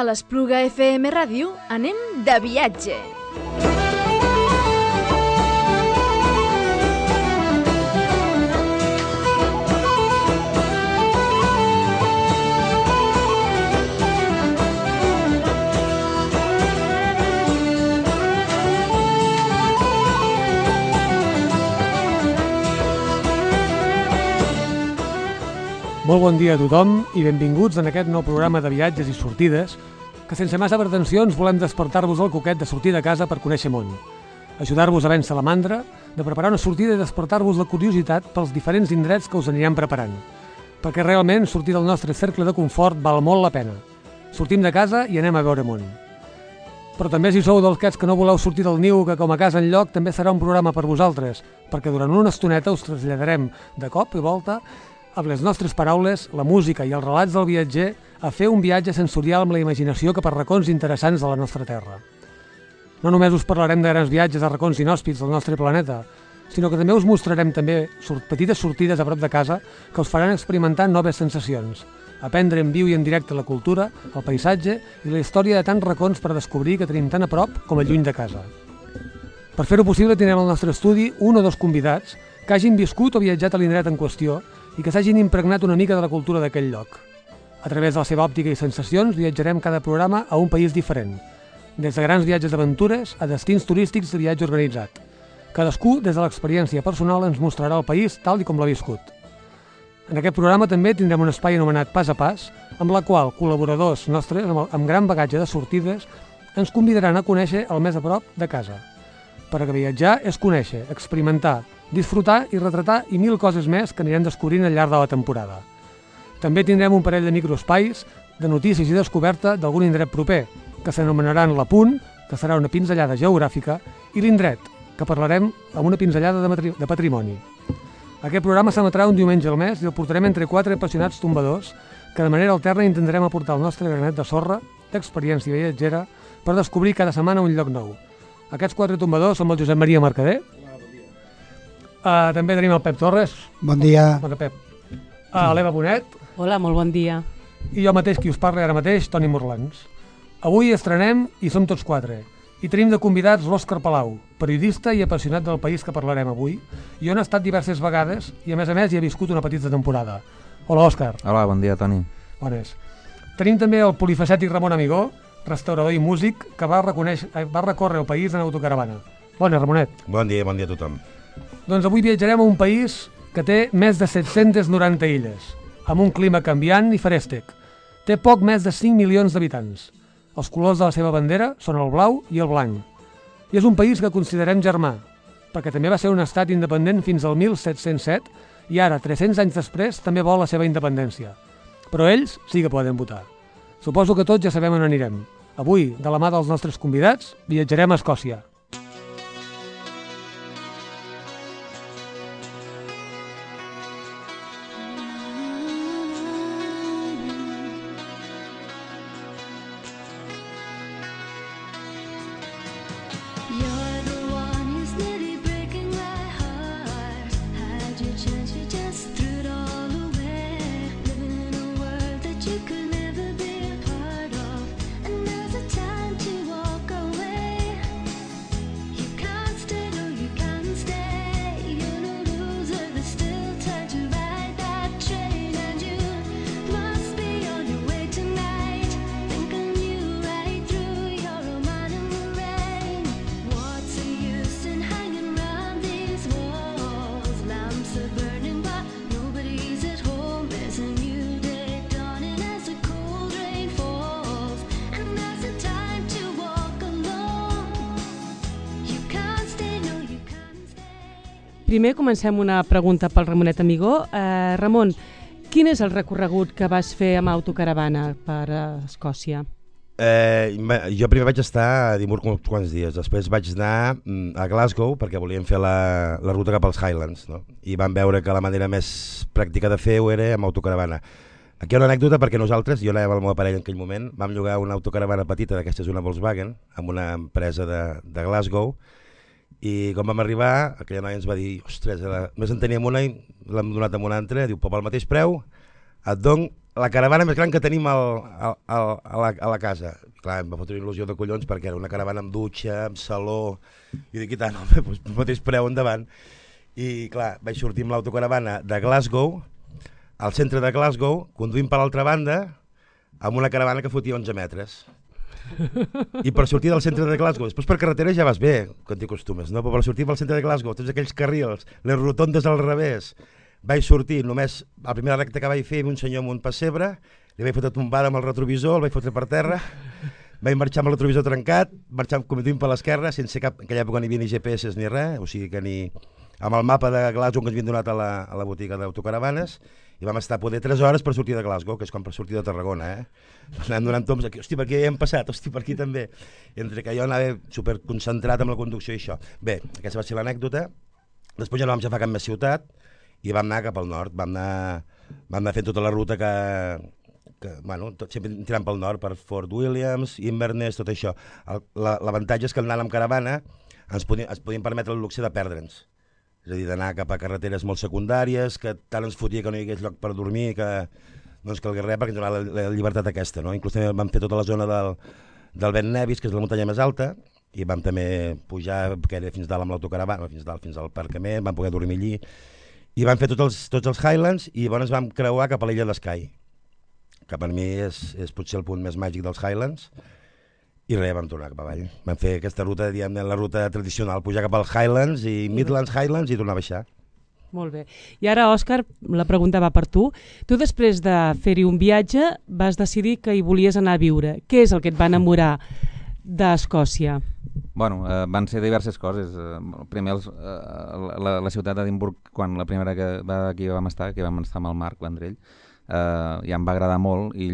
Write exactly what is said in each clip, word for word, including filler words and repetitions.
A l'Espluga F M Ràdio anem de viatge. Molt bon dia a tothom i benvinguts en aquest nou programa de viatges i sortides que sense massa pretensions volem despertar-vos el coquet de sortir de casa per conèixer món, ajudar-vos a vèncer la mandra, de preparar una sortida i despertar-vos la curiositat pels diferents indrets que us anirem preparant, perquè realment sortir del nostre cercle de confort val molt la pena. Sortim de casa i anem a veure món. Però també si sou dels aquests que no voleu sortir del niu que com a casa enlloc també serà un programa per vosaltres, perquè durant una estoneta us traslladarem de cop i volta amb les nostres paraules, la música i els relats del viatger a fer un viatge sensorial amb la imaginació cap a racons interessants de la nostra terra. No només us parlarem de grans viatges a racons inhòspits del nostre planeta, sinó que també us mostrarem també petites sortides a prop de casa que us faran experimentar noves sensacions, aprendre en viu i en directe la cultura, el paisatge i la història de tants racons per descobrir que tenim tan a prop com a lluny de casa. Per fer-ho possible tindrem al nostre estudi un o dos convidats que hagin viscut o viatjat a l'indret en qüestió i que s'hagin impregnat una mica de la cultura d'aquell lloc. A través de la seva òptica i sensacions viatjarem cada programa a un país diferent, des de grans viatges d'aventures a destins turístics de viatge organitzat. Cadascú, des de l'experiència personal, ens mostrarà el país tal i com l'ha viscut. En aquest programa també tindrem un espai anomenat Pas a Pas, amb la qual col·laboradors nostres amb gran bagatge de sortides ens convidaran a conèixer el més a prop de casa. Perquè viatjar és conèixer, experimentar, disfrutar i retratar i mil coses més que anirem descobrint al llarg de la temporada. També tindrem un parell de microespais de notícies i descoberta d'algun indret proper, que s'anomenaran La Punt, que serà una pinzellada geogràfica, i l'Indret, que parlarem amb una pinzellada de, matri- de patrimoni. Aquest programa s'emetrà un diumenge al mes i el portarem entre quatre apassionats tombadors que de manera alterna intentarem aportar el nostre granet de sorra, d'experiència viatgera, per descobrir cada setmana un lloc nou. Aquests quatre tombadors som el Josep Maria Mercader. Uh, també tenim el Pep Torres. Bon dia. Bon dia, Pep. Uh, L'Eva Bonet. Hola, molt bon dia. I jo mateix, qui us parla ara mateix, Toni Morlans. Avui estrenem i som tots quatre. I tenim de convidats l'Òscar Palau, periodista i apassionat del país que parlarem avui, i on ha estat diverses vegades i a més a més hi ha viscut una petita temporada. Hola, Òscar. Hola, bon dia, Toni. Bones. Tenim també el polifacètic Ramon Amigó, restaurador i músic, que va, va recórrer el país en autocaravana. Bona, Ramonet. Bon dia, bon dia a tothom. Doncs avui viatjarem a un país que té més de set-centes noranta illes, amb un clima canviant i ferèstec. Té poc més de cinc milions d'habitants. Els colors de la seva bandera són el blau i el blanc. I és un país que considerem germà, perquè també va ser un estat independent fins al mil set-cents set i ara, tres-cents anys després, també vol la seva independència. Però ells sí que poden votar. Suposo que tots ja sabem on anirem. Avui, de la mà dels nostres convidats, viatjarem a Escòcia. Primer comencem una pregunta pel Ramonet Amigó. Eh, Ramon, quin és el recorregut que vas fer amb autocaravana per Escòcia? Eh, jo primer vaig estar a Edimburg uns quants dies, després vaig anar a Glasgow perquè volíem fer la, la ruta cap als Highlands, no? I vam veure que la manera més pràctica de fer-ho era amb autocaravana. Aquí hi ha una anècdota perquè nosaltres, jo anava amb el meu parell en aquell moment, vam llogar una autocaravana petita, d'aquesta és una Volkswagen, amb una empresa de, de Glasgow, i quan vam arribar, aquella noia ens va dir, ostres, la... més en teníem una i l'hem donat amb una altra, diu, però pel mateix preu et dono la caravana més gran que tenim al, al, al, a, la, a la casa. I clar, em va fotre una il·lusió de collons perquè era una caravana amb dutxa, amb saló, i dic, i tant, home, doncs, pel mateix preu endavant. I clar, vaig sortir amb l'autocaravana de Glasgow, al centre de Glasgow, conduint per l'altra banda, amb una caravana que fotia onze metres. I per sortir del centre de Glasgow, després per carretera ja vas bé, quan t'hi acostumes, no? Però per sortir pel centre de Glasgow, tots aquells carrils, les rotondes al revés, vaig sortir només, la primera recta que vaig fer, un senyor amb un pessebre, li vaig fotre tombada amb el retrovisor, el vaig fotre per terra, vaig marxar amb el retrovisor trencat, marxant conduint per l'esquerra, sense cap, en aquella època ni havia ni G P S ni res, o sigui que ni... amb el mapa de Glasgow que ens havien donat a la, a la botiga d'autocaravanes, i vam estar poder tres hores per sortir de Glasgow, que és com per sortir de Tarragona, eh? Anàvem donant tombs aquí, hosti, per aquí ja hem passat, hosti, per aquí també. Entre que jo anava superconcentrat amb la conducció i això. Bé, aquesta va ser l'anècdota. Després ja no vam agafar cap més ciutat i vam anar cap al nord, vam anar, vam anar fent tota la ruta que... que bueno, tot, sempre tirant pel nord, per Fort Williams, Inverness, tot això. L'avantatge és que anant amb caravana ens podíem, ens podíem permetre el luxe de perdre'ns. És a dir, d'anar cap a carreteres molt secundàries, que tant ens fotia que no hi hagués lloc per dormir, que no ens calgués res, perquè ens donava la, la llibertat aquesta, no? Inclús també vam fer tota la zona del, del Ben Nevis, que és la muntanya més alta, i vam també pujar, que era fins dalt amb l'autocaravana, fins dalt, fins al aparcament, vam poder dormir allí, i vam fer tots els, tots els Highlands, i llavors vam creuar cap a l'illa d'Skye, que per mi és, és potser el punt més màgic dels Highlands. I res, vam tornar cap avall. Vam fer aquesta ruta, diguem, la ruta tradicional, pujar cap als Highlands i Midlands Highlands i tornar a baixar. Molt bé. I ara, Òscar, la pregunta va per tu. Tu, després de fer-hi un viatge, vas decidir que hi volies anar a viure. Què és el que et va enamorar d'Escòcia? Bueno, eh, van ser diverses coses. Eh, primer, els, eh, la, la ciutat d'Edimburg, quan la primera que va, aquí vam estar, que vam estar amb el Marc Vendrell, Uh, ja em va agradar molt i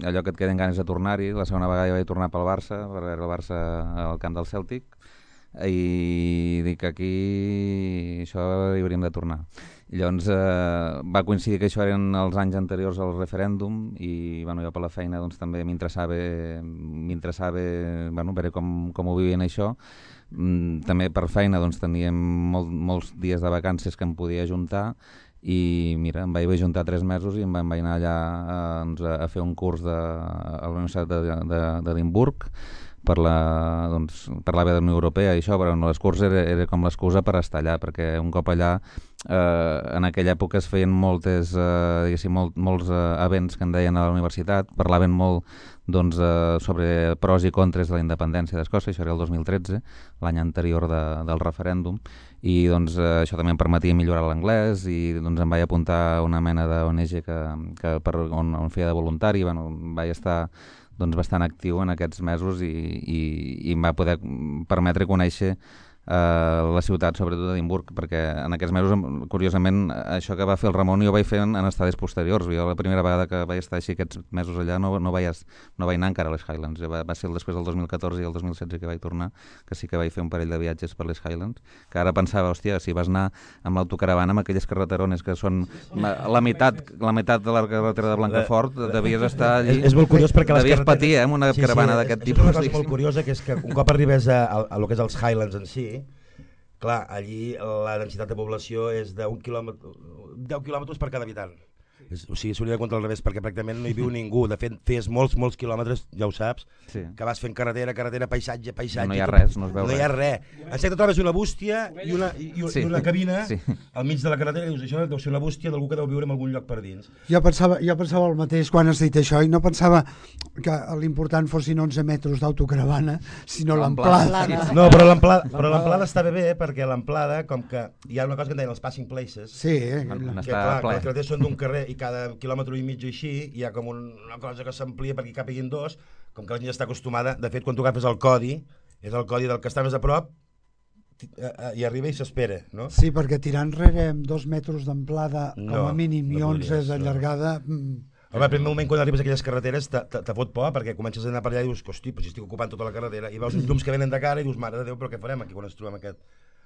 allò que et queden ganes de tornar-hi. La segona vegada ja vaig tornar pel Barça, per veure el Barça al camp del Cèltic, i dic que aquí això hi hauríem de tornar. I llavors uh, va coincidir que això eren els anys anteriors al referèndum i bueno, jo per la feina doncs, també m'interessava m'interessava bueno, veure com, com ho vivien això. Mm, també per feina doncs, teníem molt, molts dies de vacances que em podia ajuntar i mira, em vaig ajuntar tres mesos i em vaig anar allà a, doncs, a fer un curs de, a la Universitat d'Edimburg per la, doncs, per la B de la Unió Europea i això, però no, l'escurs era, era com l'excusa per estar allà, perquè un cop allà eh, en aquella època es feien moltes, eh, diguéssim, molt, molts eh, events que en deien a la universitat, parlaven molt doncs, eh, sobre pros i contres de la independència d'Escòcia, això era el dos mil tretze, l'any anterior de, del referèndum, i doncs, eh, això també em permetia millorar l'anglès i doncs, em vaig apuntar a una mena d'O N G que, que per, on, on feia de voluntari, bueno, vaig estar doncs, bastant actiu en aquests mesos i, i, i em va poder permetre conèixer Uh, la ciutat, sobretot d'Edimburg, perquè en aquests mesos, curiosament, això que va fer el Ramon jo ho vaig fer en, en estades posteriors. Jo la primera vegada que vaig estar així aquests mesos allà no, no, vaig, no vaig anar encara a les Highlands. Va, va ser després del dos mil catorze i el dos mil setze que vaig tornar, que sí que vaig fer un parell de viatges per les Highlands, que ara pensava, hòstia, si vas anar amb l'autocaravana amb aquelles carreterones que són la meitat, la meitat de la carretera de Blancafort, devies estar allí... És, és molt curiós perquè les devies patir, eh, amb una sí, caravana sí, d'aquest tipus. És una cosa molt curiosa, que és que un cop arribes a, a, a lo que és els Highlands en si, clar, allí la densitat de població és d'un quilòmetre, deu quilòmetres per cada habitant. És, o sigui, s'hauria de comptar al revés, perquè pràcticament no hi viu ningú. De fet, fes molts, molts quilòmetres, ja ho saps, sí. que vas fent carretera, carretera, paisatge, paisatge... No hi ha res, no es veu res. No hi ha res. En secte trobes una bústia i una, i, i, sí. i una cabina sí. al mig de la carretera i dius, això deu ser una bústia d'algú que deu viure en algun lloc per dins. Jo pensava, jo pensava el mateix quan has dit això i no pensava que l'important fossin onze metres d'autocaravana, sinó l'amplada. No, però l'amplada però l'amplada estava bé, perquè l'amplada, com que hi ha una cosa que en deien els passing places, sí, eh? que, clar, que les carreteres són d'un carrer i cada quilòmetre i mig així, hi ha com un, una cosa que s'amplia perquè hi capiguin dos, com que la gent està acostumada. De fet, quan tu agafes el codi, és el codi del que està més a prop, i arriba i s'espera, no? Sí, perquè tirant enrere amb dos metres d'amplada no, com a mínim no i onze de llargada... No. Home, al primer moment quan arribes a aquelles carreteres te, te, te fot por, perquè comences a anar per allà i dius, hosti, però si estic ocupant tota la carretera, i veus uns llums que venen de cara i dius, mare de Déu, però què farem aquí quan ens trobem aquest...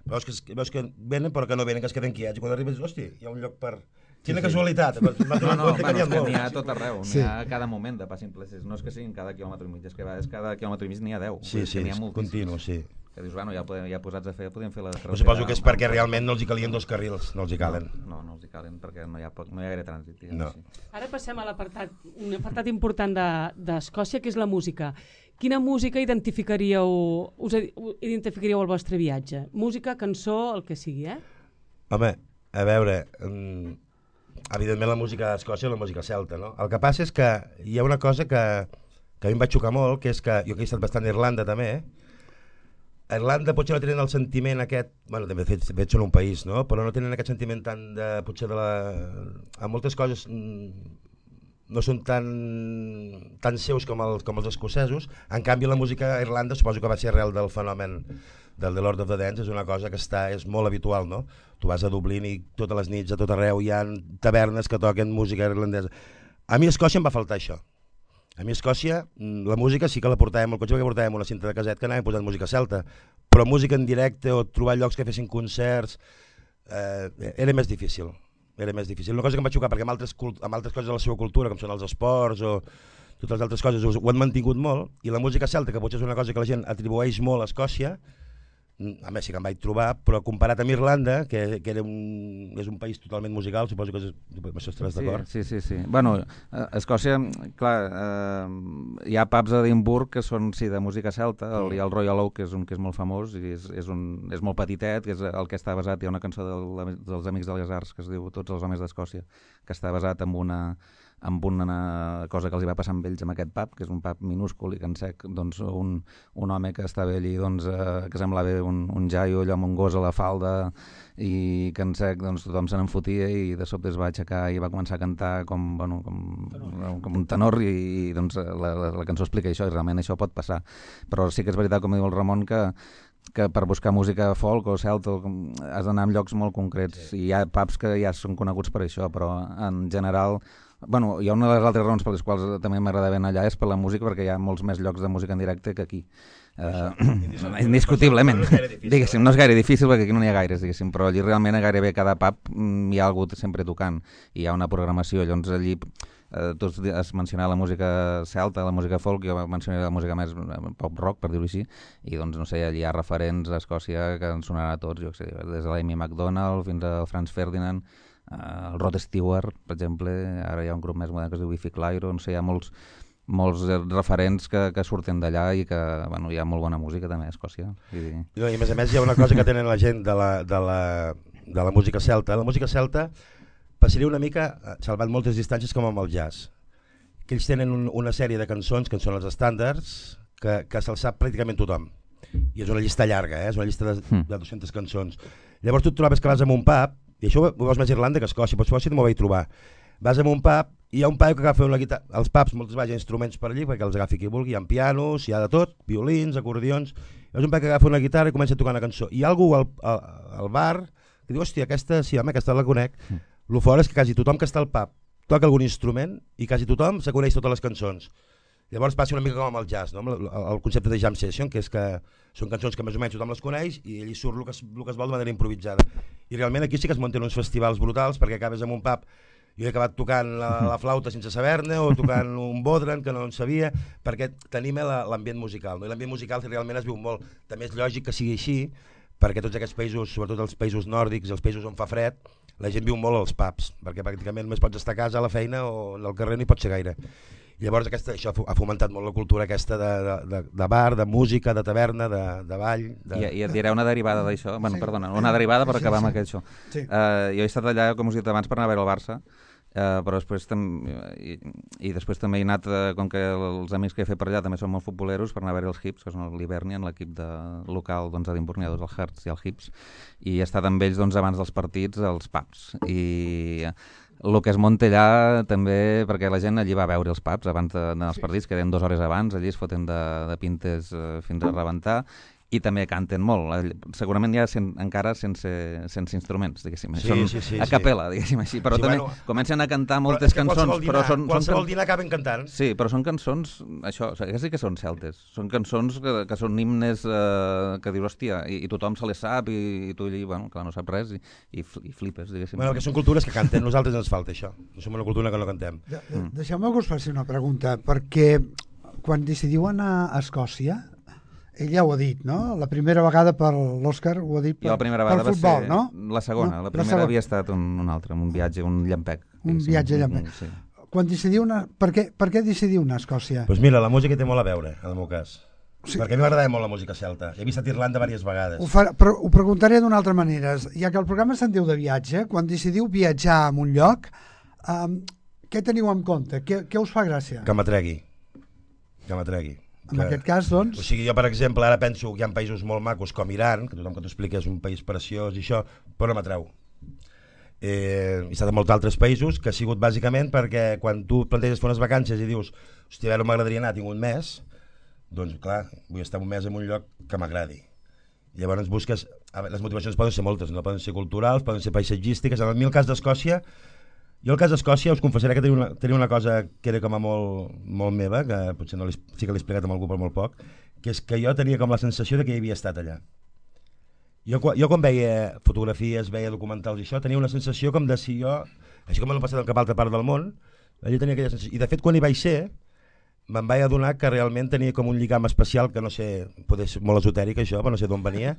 Veus que, veus que venen però que no venen, que es queden quiets, i quan arribes, hosti, hi ha un lloc per... Quina casualitat. No, no, bueno, és que n'hi ha molt. a tot arreu, n'hi Sí. ha a cada moment de Passing Places. No és que siguin cada quilòmetre i mig, és que a vegades cada quilòmetre i mig n'hi ha deu. Sí, sí, n'hi ha moltíssims. continu, sí. Que dius, bueno, ja, podem, ja posats a fer, podem fer la Però suposo que és perquè realment no els hi calien dos carrils, no els hi calen. No, no els hi calen, perquè no hi ha, poc, no hi ha gaire trànsit. No. Així. Ara passem a l'apartat, un apartat important de- d'Escòcia, que és la música. Quina música identificaríeu, us identificaríeu el vostre viatge? Música, cançó, el que sigui, eh? Home, a veure, um, evidentment la música d'Escòcia és la música celta, no? El que passa és que hi ha una cosa que, que a mi em va xocar molt, que és que jo que he estat bastant a Irlanda també, eh? A Irlanda potser no tenen el sentiment aquest, bueno, de fet, de fet són un país, no? Però no tenen aquest sentiment tan de, potser de la... A moltes coses mm, no són tan, tan seus com els, com els escocesos. En canvi, la música a Irlanda, suposo que va ser arrel del fenomen del The Lord of the Dance, és una cosa que està, és molt habitual, no? Tu vas a Dublín i totes les nits, a tot arreu, hi ha tavernes que toquen música irlandesa. A mi a Escòcia em va faltar això. A mi a Escòcia, la música sí que la portàvem al cotxe perquè portàvem una cinta de caset que anàvem posant música celta, però música en directe o trobar llocs que fessin concerts eh, era més difícil. Era més difícil. Una cosa que em va xocar, perquè amb altres, amb altres coses de la seva cultura, com són els esports o totes les altres coses, ho han mantingut molt, i la música celta, que potser és una cosa que la gent atribueix molt a Escòcia, a més sí que em vaig trobar, però comparat amb Irlanda, que, que era un, és un país totalment musical, suposo que és, això estaràs d'acord. Sí, sí, sí, sí. Bueno, a Escòcia, clar, eh, hi ha pubs a Edimburg que són, sí, de música celta, el, hi ha el Royal Oak, que és un que és molt famós, i és, és, un, és molt petitet, que és el que està basat, hi ha una cançó del, dels Amics de les Arts que es diu Tots els homes d'Escòcia, que està basat en una amb una cosa que els hi va passar amb ells amb aquest pub, que és un pub minúscul i que en sec, doncs, un, un home que estava allí, doncs, eh, que semblava un, un jaio allò amb un gos a la falda i que en sec, doncs, tothom se n'enfotia i de sobte es va aixecar i va començar a cantar com, bueno, com, com un tenor i, i doncs, la, la, la cançó explica això i realment això pot passar. Però sí que és veritat, com diu el Ramon, que que per buscar música folk o celta has d'anar en llocs molt concrets, sí. I hi ha pubs que ja són coneguts per això, però en general, bueno, hi ha una de les altres raons per les quals també m'agrada anar allà és per la música, perquè hi ha molts més llocs de música en directe que aquí. Uh, indiscutiblement, diguéssim, no és gaire difícil perquè aquí no n'hi ha gaires, diguéssim, però allí realment a gairebé cada pub hi ha algú sempre tocant i hi ha una programació, llavors allí eh, tu has mencionat la música celta, la música folk, jo mencionaré la música més pop rock, per dir-ho així, i doncs no sé, allí hi ha referents a Escòcia que ens sonaran a tots, jo sé, des de l'Amy MacDonald fins al Franz Ferdinand, el Rod Stewart, per exemple, ara hi ha un grup més modern que es diu Biffy Clyro, no sé, hi ha molts molts referents que, que surten d'allà i que bueno, hi ha molt bona música també a Escòcia. I... I a més a més hi ha una cosa que tenen la gent de la, de la, de la música celta. La música celta passaria una mica, salvant moltes distàncies, com amb el jazz. Que ells tenen un, una sèrie de cançons que són els estàndards que, que se'ls sap pràcticament tothom. I és una llista llarga, eh? És una llista de, de dues-centes cançons. Llavors tu et trobes que vas a un pub, i això ho veus més a Irlanda que a Escòcia, però Escòcia no m'ho vaig trobar. Vas a un pub i hi ha un paio que agafa una guitarra. Els pubs moltes vegades hi ha instruments per allí perquè els agafi qui vulgui, hi ha pianos, hi ha de tot, violins, acordions. Hi ha un paio que agafa una guitarra i comença a tocar una cançó. I hi ha algú al, al, al bar que diu, hòstia, aquesta, sí, home, aquesta la conec. Mm. Lo fort és que quasi tothom que està al pub toca algun instrument i quasi tothom se coneix totes les cançons. Llavors passa una mica com amb el jazz, no? el, el concepte de jam session, que és que són cançons que més o menys tothom les coneix i allí surt el que, es, el que es vol de manera improvisada. I realment aquí sí que es munten uns festivals brutals perquè acabes en un pub. Jo he acabat tocant la, la flauta sense saber-ne o tocant un bodran que no en sabia, perquè tenim l'ambient musical, no? I l'ambient musical realment es viu molt. També és lògic que sigui així, perquè tots aquests països, sobretot els països nòrdics i els països on fa fred, la gent viu molt als pubs, perquè pràcticament només pots estar a casa, a la feina o al carrer no hi pots ser gaire. Llavors aquesta, això ha fomentat molt la cultura aquesta de, de, de bar, de música, de taverna, de, de ball. De... I, I et diré una derivada d'això, bueno, sí. perdona, una derivada per acabar sí, sí. amb aquest això. Sí. Uh, jo he estat allà, com us he dit abans, per anar a veure el Barça, uh, però després també, i, i després també he anat, uh, com que els amics que he fet per allà també són molt futboleros, per anar a veure els Hibs, que són l'Hibernian, l'equip de, local doncs, d'Edimburg, n'hi ha dos, el Hearts i el Hibs, i he estat amb ells doncs, abans dels partits als pubs. I... el que es munta allà també, perquè la gent allí va a veure els pubs abans d'anar als partits, que eren dues hores abans, allí es foten de, de pintes eh, fins a rebentar, i també canten molt, segurament ja sen, encara sense, sense instruments, diguéssim, sí, són sí, sí, a capella, diguéssim així, però sí, també bueno, comencen a cantar moltes però cançons, dinar, però són... qualsevol són dinar acaben cantant. Sí, però són cançons, això, o sigui, sí que són celtes, són cançons que, que són himnes eh, que dius, hòstia, i, i tothom se les sap, i, i tu allí, bueno, clar, no sap res, i, i, i flipes, diguéssim. Bueno, que són cultures que canten, nosaltres ens falta això, no som una cultura que no cantem. De, de, deixeu-me que us faci una pregunta, perquè quan decidiu anar a Escòcia, ell ja ho ha dit, no? La primera vegada per l'Òscar ho ha dit per, jo la primera vegada per futbol, va ser no? La segona, no? la primera la segona. Havia estat un, un altre, un viatge, un llampec. Un viatge llampec. Sí. Quan decidiu anar... Per què, per què decidiu anar a Escòcia? Doncs pues mira, la música té molt a veure, en el meu cas. Sí. Perquè a mi m'agradava molt la música celta. He visitat Irlanda diverses vegades. Ho, farà, però ho preguntaré d'una altra manera. Ja que el programa se'n diu de viatge, quan decidiu viatjar a un lloc, um, què teniu en compte? Què, què us fa gràcia? Que m'atregui. Que m'atregui. En que, aquest cas, doncs... O sigui, jo, per exemple, ara penso que hi ha països molt macos com Iran, que tothom que t'ho explica és un país preciós i això, però no m'atreu. Eh, he estat en molts altres països que ha sigut bàsicament perquè quan tu planteges fer unes vacances i dius hòstia, ara m'agradaria anar, tinc un mes, doncs clar, vull estar un mes en un lloc que m'agradi. Llavors busques... Les motivacions poden ser moltes, no poden ser culturals, poden ser paisatgístiques. En el meu cas d'Escòcia, jo el cas d'Escòcia us confessaré que tenia una, tenia una cosa que era com a molt, molt meva, que potser no sí que l'he explicat amb algú per molt poc, que és que jo tenia com la sensació de que hi havia estat allà. Jo, jo quan veia fotografies, veia documentals i això, tenia una sensació com de si jo, així com m'ho he passat en cap altra part del món, allà tenia aquella sensació. I de fet quan hi vaig ser, me'n vaig adonar que realment tenia com un lligam especial, que no sé, poder ser molt esotèric això, però no sé d'on venia,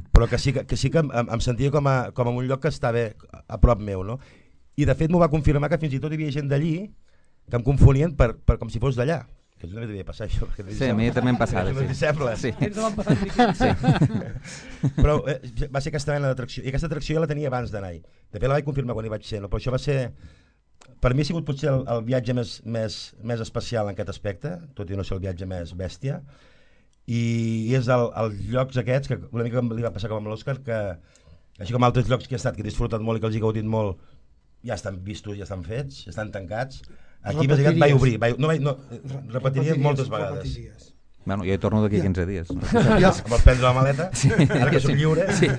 però que sí que, que, sí que em, em sentia com a, com a un lloc que estava a prop meu, no? I de fet m'ho va confirmar que fins i tot hi havia gent d'allí que em confonien per, per com si fos d'allà. Que això també devia passar, això. Sí, a mi també em passava. Sí. Sembla. Sí. Sí. Però eh, va ser aquesta mena d'atracció. I aquesta atracció ja la tenia abans d'anar-hi. De fet la vaig confirmar quan hi vaig ser. No? Però això va ser... Per mi ha sigut potser el, el viatge més, més, més especial en aquest aspecte, tot i no ser el viatge més bèstia. I, i és el, els llocs aquests, que una mica li va passar com amb l'Òscar, que així com altres llocs que he estat, que he disfrutat molt i que els he gaudit molt, ja estan vistos, ja estan fets, ja estan tancats. Aquí més aviat vaig obrir, vaig, no, vaig, no, repetiria moltes vegades. Repetiries. Bueno, jo hi torno d'aquí quinze dies. No? Ja, vols prendre la maleta? Sí. Ara que soc lliure. Sí.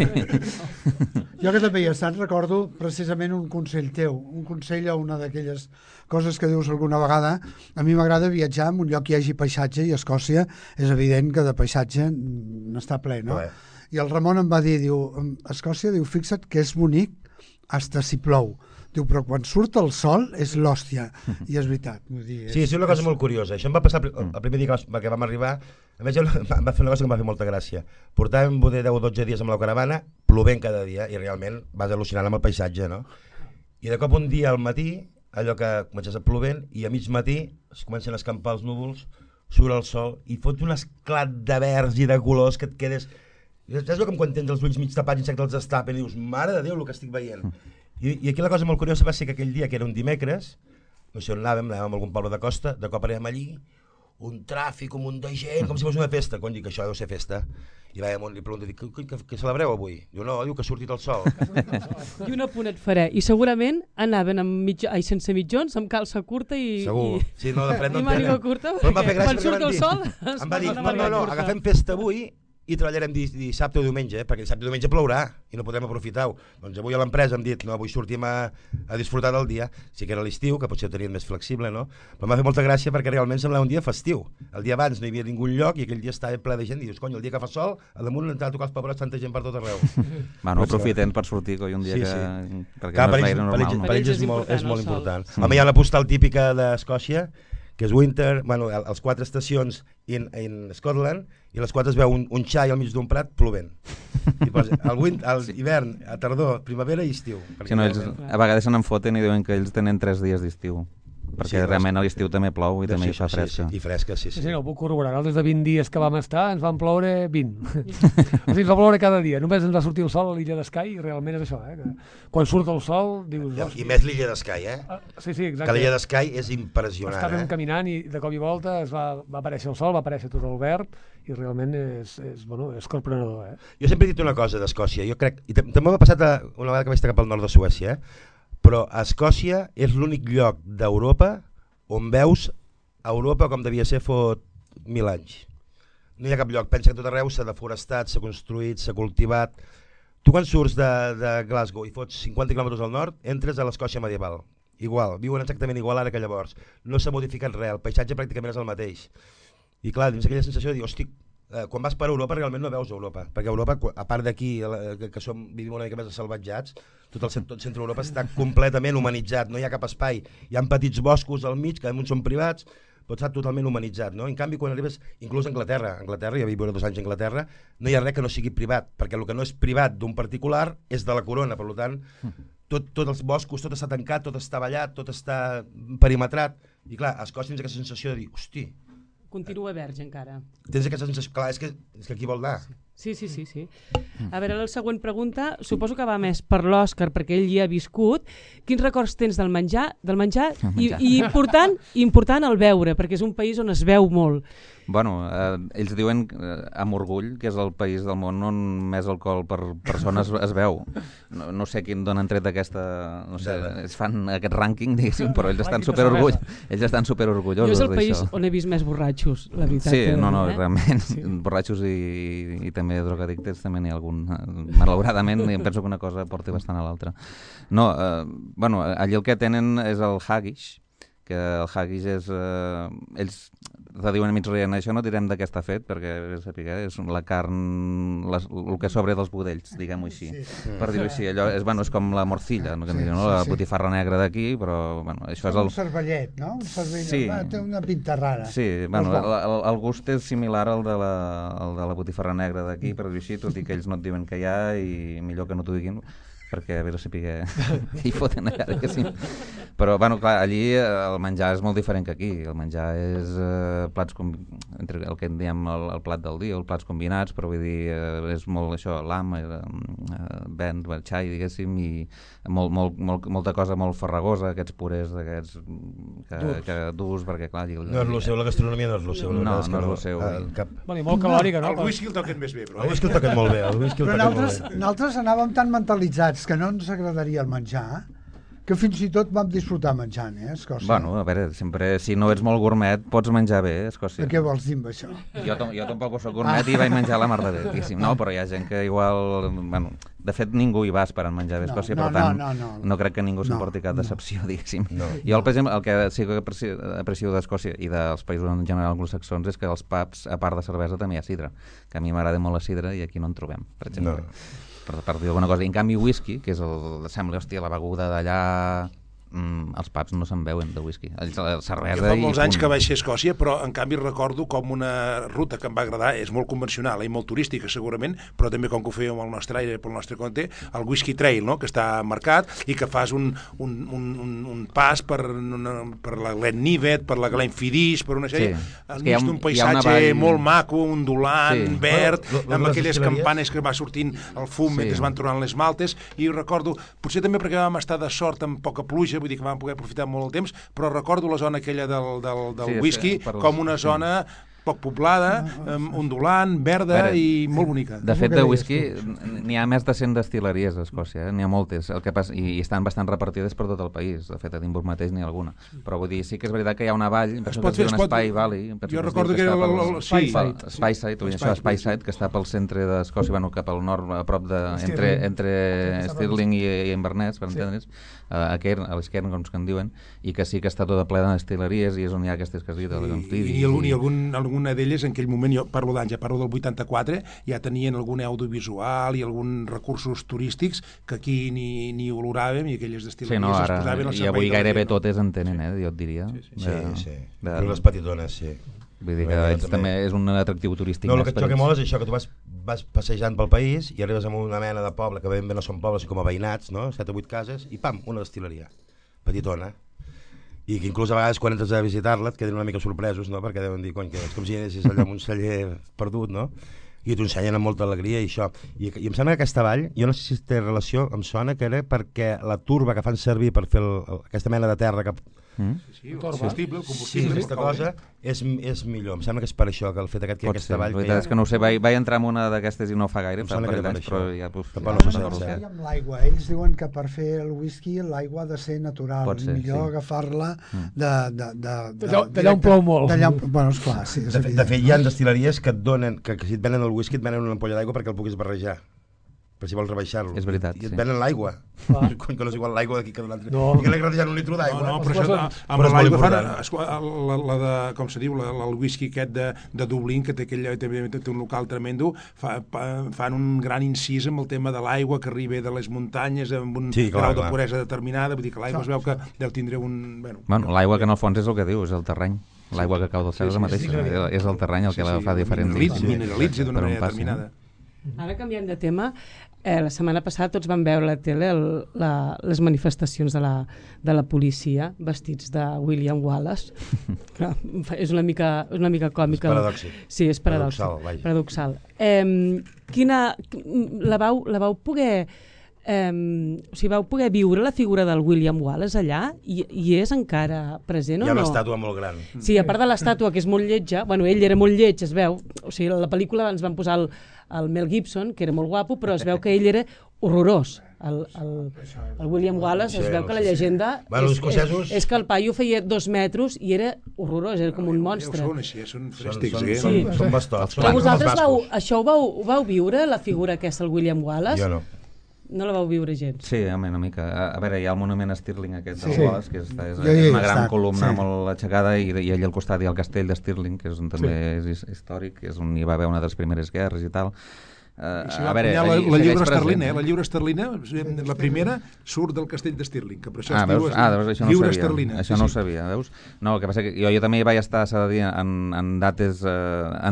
Jo que també hi he estat, recordo precisament un consell teu, un consell o una d'aquelles coses que dius alguna vegada. A mi m'agrada viatjar en un lloc que hi hagi paisatge, i Escòcia és evident que de paisatge n'està ple, no? Bé. I el Ramon em va dir, diu, Escòcia, diu, fixa't que és bonic hasta si plou. Diu, però quan surt el sol és l'hòstia. I és veritat. Vull dir, és, sí, és una cosa és... molt curiosa. Això em va passar el, el primer dia que, que vam arribar. A més, em va fer una cosa que em va fer molta gràcia. Portàvem deu o dotze dies amb la caravana, plovent cada dia, i realment vas al·lucinant amb el paisatge, no? I de cop un dia al matí, allò que comences a plovent, i a mig matí es comencen a escampar els núvols, surt el sol, i fot un esclat de verds i de colors que et quedes... Saps com quan tens els ulls mig tapats i que els destapen i dius, mare de Déu, el que estic veient. I, I aquí la cosa molt curiosa va ser que aquell dia, que era un dimecres, no sé on anàvem, anàvem a algun poble de costa, de cop arribem allí, un tràfic, un munt de gent, com si fos una festa. Quan dic, això deu ser festa. I vaig amunt i li pregunto, dic, què, què, què celebreu avui? Diu, no, diu que ha sortit el sol. I un apunt et faré. I segurament anaven amb mitja, ai, sense mitjons, amb calça curta i... Segur. I, sí, no, de fred no i màniga curta, perquè quan surt el sol... Em va dir, no, no, no, agafem festa avui i treballarem dissabte o diumenge, perquè dissabte o diumenge plourà i no podrem aprofitar-ho. Doncs avui a l'empresa hem dit, no, avui sortim a, a disfrutar del dia. Sí que era l'estiu, que potser ho tenien més flexible, no? Però m'ha fet molta gràcia perquè realment semblava un dia festiu. El dia abans no hi havia ningú lloc i aquell dia estava ple de gent i dius, cony, el dia que fa sol, a damunt entrava a tocar els pebrots tanta gent per tot arreu. Bueno, aprofiten per sortir, coi, un dia sí, que... Sí. Perquè clar, no és gaire normal, per ells, no? Per ells és, molt, és molt important. Mm. Home, hi ha una postal típica d'Escòcia, que és Winter, bueno, els quatre estacions in, in Scotland, i les quatre es veu un, un xai al mig d'un prat plovent. I posa, el, wind, el sí. hivern, a tardor, primavera i estiu. Sí, no, ells, a vegades se n'enfoten i diuen que ells tenen tres dies d'estiu. Perquè sí, realment a l'estiu també plou i sí, també hi fa sí, fresca. Sí, sí, i fresca, sí, sí. Sí, sí, no ho puc corroborar. Des de vint dies que vam estar ens van ploure vint. O sigui, ens va ploure cada dia. Només ens va sortir el sol a l'illa d'Skye i realment és això, eh? Que quan surt el sol dius... I, i més l'illa d'Skye, eh? Ah, sí, sí, exacte. Que l'illa d'Skye és impressionant, Estàvem eh? caminant i de cop i volta es va, va aparèixer el sol, va aparèixer tot el verd i realment és, és, bueno, és corprenedor, eh? Jo sempre he dit una cosa d'Escòcia, jo crec... I també m'ha passat a, una vegada que vaig estar cap al nord de Suècia, eh? Però Escòcia és l'únic lloc d'Europa on veus Europa com devia ser fot mil anys. no hi ha cap lloc. Pensa que tot arreu s'ha deforestat, s'ha construït, s'ha cultivat. Tu quan surts de, de Glasgow i fots cinquanta quilòmetres al nord, entres a l'Escòcia medieval. Igual, viuen exactament igual ara que llavors. No s'ha modificat res, el paisatge pràcticament és el mateix. I clar, dins aquella sensació de dir, hosti, eh, quan vas per Europa realment no veus Europa, perquè Europa, a part d'aquí, que, que som, vivim una mica més salvatjats, tot el tot centre d'Europa està completament humanitzat, no hi ha cap espai, hi ha petits boscos al mig, que damunt són privats, però està totalment humanitzat, no? En canvi, quan arribes, inclús a Anglaterra, a Anglaterra, ja vaig viure dos anys a Anglaterra, no hi ha res que no sigui privat, perquè el que no és privat d'un particular és de la corona, per tant, tot, tots els boscos, tot està tancat, tot està ballat, tot està perimetrat, i clar, a Escòcia tens aquesta sensació de dir, hosti... Continua verge encara. Tens aquesta sensació, clar, és que, és que aquí vol anar. Sí, sí, sí, sí. A veure, la següent pregunta, suposo que va més per l'Òscar, perquè ell hi ha viscut. Quins records tens del menjar? Del menjar? I, i important, important el beure, perquè és un país on es beu molt. Bueno, eh, ells diuen eh, amb orgull que és el país del món on més alcohol per persona es, es veu. No, no sé quin d'on han tret aquesta... No sé, es fan aquest rànquing, diguéssim, però ells estan superorgull, ells estan superorgullosos d'això. Jo és el país on he vist més borratxos, la veritat. Sí, no, no, eh? realment, sí. Borratxos i, i també drogadictes també n'hi ha algun. Malauradament, em penso que una cosa porta bastant a l'altra. No, eh, bueno, allí el que tenen és el haggis, que el haggis és... Eh, ells te diuen a mig rient, això no direm de què està fet, perquè és la carn, les, el que sobre dels budells, diguem-ho així. Sí, sí. Per dir-ho així, allò és, bueno, és com la morcilla, no? Que sí, no? La botifarra negra d'aquí, però bueno, això és, és el... un cervellet, no? Un cervellet, sí. Té una pinta rara. Sí, bueno, el, el, el gust és similar al de la, al de la botifarra negra d'aquí, per dir-ho així, tot i que ells no et diuen que hi ha i millor que no t'ho diguin, perquè a veure si pique hi foten allà, que sí. Però, bueno, clar, allí el menjar és molt diferent que aquí. El menjar és eh, plats, com, entre el que en diem el, el plat del dia, els plats combinats, però vull dir, eh, és molt això, l'am, eh, vent, xai, diguéssim, i molt, molt, molt, molta cosa molt farragosa, aquests purés d'aquests que, que durs, perquè clar... Allí, no és el seu, la gastronomia no és el seu. No, no, no és el seu. El cap... bueno, i molt calòrica, no? El whisky el toquen més bé, però... El whisky el toquen molt bé, el whisky el però toquen nosaltres, molt bé. nosaltres anàvem tan mentalitzats que no ens agradaria el menjar, que fins i tot vam disfrutar menjant, eh, Escòcia. Bueno, a veure, sempre, si no ets molt gourmet, pots menjar bé, Escòcia. Què vols dir amb això? Jo, jo tampoc soc gourmet ah. i vaig menjar la mar de bé, diguéssim. No, però hi ha gent que igual... Bueno, de fet, ningú hi va esperant menjar bé a Escòcia, no, no, per tant, no, no, no. no crec que ningú no, s'emporti cap no. decepció, diguéssim. No, jo, per exemple, el que sí que aprecio, aprecio d'Escòcia i dels països en general anglosaxons és que als pubs, a part de cervesa, també hi ha sidra, que a mi m'agrada molt la sidra i aquí no en trobem, per exemple. No. Per, per dir alguna cosa. I en canvi, whisky, que és el... Sembla, hòstia, la beguda d'allà... Mm, els pubs no se'n veuen de whisky. La cervesa jo fa molts i anys que vaig ser a Escòcia, però en canvi recordo com una ruta que em va agradar, és molt convencional i molt turística segurament, però també com que ho fèiem al nostre aire, pel nostre compte, el Whisky Trail, no? Que està marcat i que fas un, un, un, un, un pas per, una, per la Glenlivet, per la Glenfiddich, per una sèrie, sí. enmig d'un paisatge vall... molt maco, ondulant, sí. verd, bueno, lo, lo, amb aquelles campanes que va sortint el fum sí. mentre es van tornant les maltes, i recordo, potser també perquè vam estar de sort amb poca pluja, vull dir que vam poder aprofitar molt el temps, però recordo la zona aquella del, del, del sí, whisky sí, com una zona poc poblada, um, ondulant, verda veure, i molt bonica. De fet, de whisky n'hi ha més de cent destil·leries a Escòcia, eh? N'hi ha moltes, el que passa, i, i estan bastant repartides per tot el país. De fet, a Edimburg mateix n'hi ha alguna. Però vull dir, sí que és veritat que hi ha una vall, penso que es diu un Spy Valley. Jo recordo que era el Speyside, això és Speyside, que està pel centre d'Escòcia, bueno, cap al nord, a prop de... entre, entre Stirling i, i Inverness, per entendre's, a Cairn, a l'Esquerna, com que en diuen, i que sí que està tota plena de destil·leries i és on hi ha aquestes que has dit, el Glenfiddich. I, algun, i algun, alguna d'elles en aquell moment, jo parlo d'anys, ja parlo del vuitanta-quatre, ja tenien algun audiovisual i alguns recursos turístics que aquí ni, ni oloràvem i aquelles destil·leries sí, no, ara, es posaven al servei. I avui gairebé no? totes en tenen, eh, jo et diria. Sí, sí, de, sí, sí. De, de les petitones, sí. Vull dir que ells també és un atractiu turístic. No, el que et xoca molt és això, que tu vas, vas passejant pel país i arribes a una mena de poble, que ben bé no són pobles, com a veïnats, no? set o vuit cases, i pam, una destil·leria, petitona. I que inclús a vegades quan entres a visitar-la et queden una mica sorpresos, no? Perquè deuen dir, cony, que és com si anessis allà amb un celler perdut, no? I t'ho ensenyen amb molta alegria i això. I, I em sembla que aquesta vall, jo no sé si té relació, em sona que era perquè la turba que fan servir per fer el, aquesta mena de terra que Mm? Sí, el combustible, el Sí, combustible. aquesta cosa és, és millor. Em sembla que és per això que el fet aquest, que Pot aquest ser, la treball... veritat és que no ho sé, vaig, vaig entrar en una d'aquestes i no fa gaire, Em fa sembla un que parell era d'anys, per però això. ja... Pues, Tampoc ja no no sé me'n si recordo. és Amb l'aigua. Ells diuen que per fer el whisky l'aigua ha de ser natural. Pot ser, Millor sí. agafar-la de... de, de, de, D'allà- d'allà on plou molt. D'allà on... Bueno, esclar, sí. És De, fe- de evident. fet, hi ha destil·leries que et donen, que, que si et venen el whisky et venen una ampolla d'aigua perquè el puguis barrejar. Per si vols rebaixar-lo. És veritat, I et sí. venen l'aigua. Clar. Quan que no és igual l'aigua d'aquí que de l'altre. No. I que l'he gratejat un litre No, d'aigua. no, eh? però això, amb Però és molt l'aigua fan important. esclar, la, la de, com se diu, la, la, el whisky aquest de, de Dublín, que té, aquell, té, té un local tremendo, fa, pa, fan un gran incís amb el tema de l'aigua que arriba de les muntanyes amb un Sí, clar, grau clar. de puresa determinada, vull dir que l'aigua es veu que deu tindre un... Bueno, Bueno, l'aigua que en el fons és el que diu, és el terreny. L'aigua que cau del cel és la mateixa, és el terreny el que la fa diferent. Mineralitza, mineralitza d'una Per on manera passi. determinada. Ara canviant de tema, eh, la setmana passada tots vam veure a la tele el, la, les manifestacions de la, de la policia vestits de William Wallace. Clar, és una mica, és una mica còmica. És paradòxic. Sí, és paradoxal. Paradoxal, vaja. paradoxal. Eh, quina, la, vau, la vau poder... Um, o sigui, vau poder viure la figura del William Wallace allà i, i és encara present Hi o ha no? una estàtua molt gran. Sí, a part de l'estàtua, que és molt lletja, bueno, ell era molt lleig, es veu, o sigui, a la pel·lícula ens van posar el, el Mel Gibson, que era molt guapo, però es veu que ell era horrorós. El, el, el William Wallace, es veu que la llegenda Bueno, els és, escocesos- és, és que el paio feia dos metres i era horrorós, era com un monstre. Són així, són Són, frèstics. són, eh? són, Sí. són bastots. Però són vosaltres els vau, bascos. això ho vau, ho vau viure, la figura aquesta, el William Wallace? Jo no. No la vau viure gens. Sí, home, una mica. A, a veure, hi ha el monument a Stirling aquest del Sí. Wallace, que és, és, Jo hi he és una gran estat, columna sí. molt aixecada, i, i allà al costat hi ha el castell de Stirling, que és on també és his- històric, que és on hi va haver una de les primeres guerres i tal. Uh, I si va la, la, allí la segueix lliura present, esterlina, eh? eh? la lliura esterlina, la primera surt del castell de Stirling, que per això Ah, es diu veus? Ah, veus, això no ho lliura sabia. esterlina. Això Sí, no ho sí. sabia, veus? No, el que passa que jo, jo també hi vaig estar, s'ha de dir, en, en dates eh,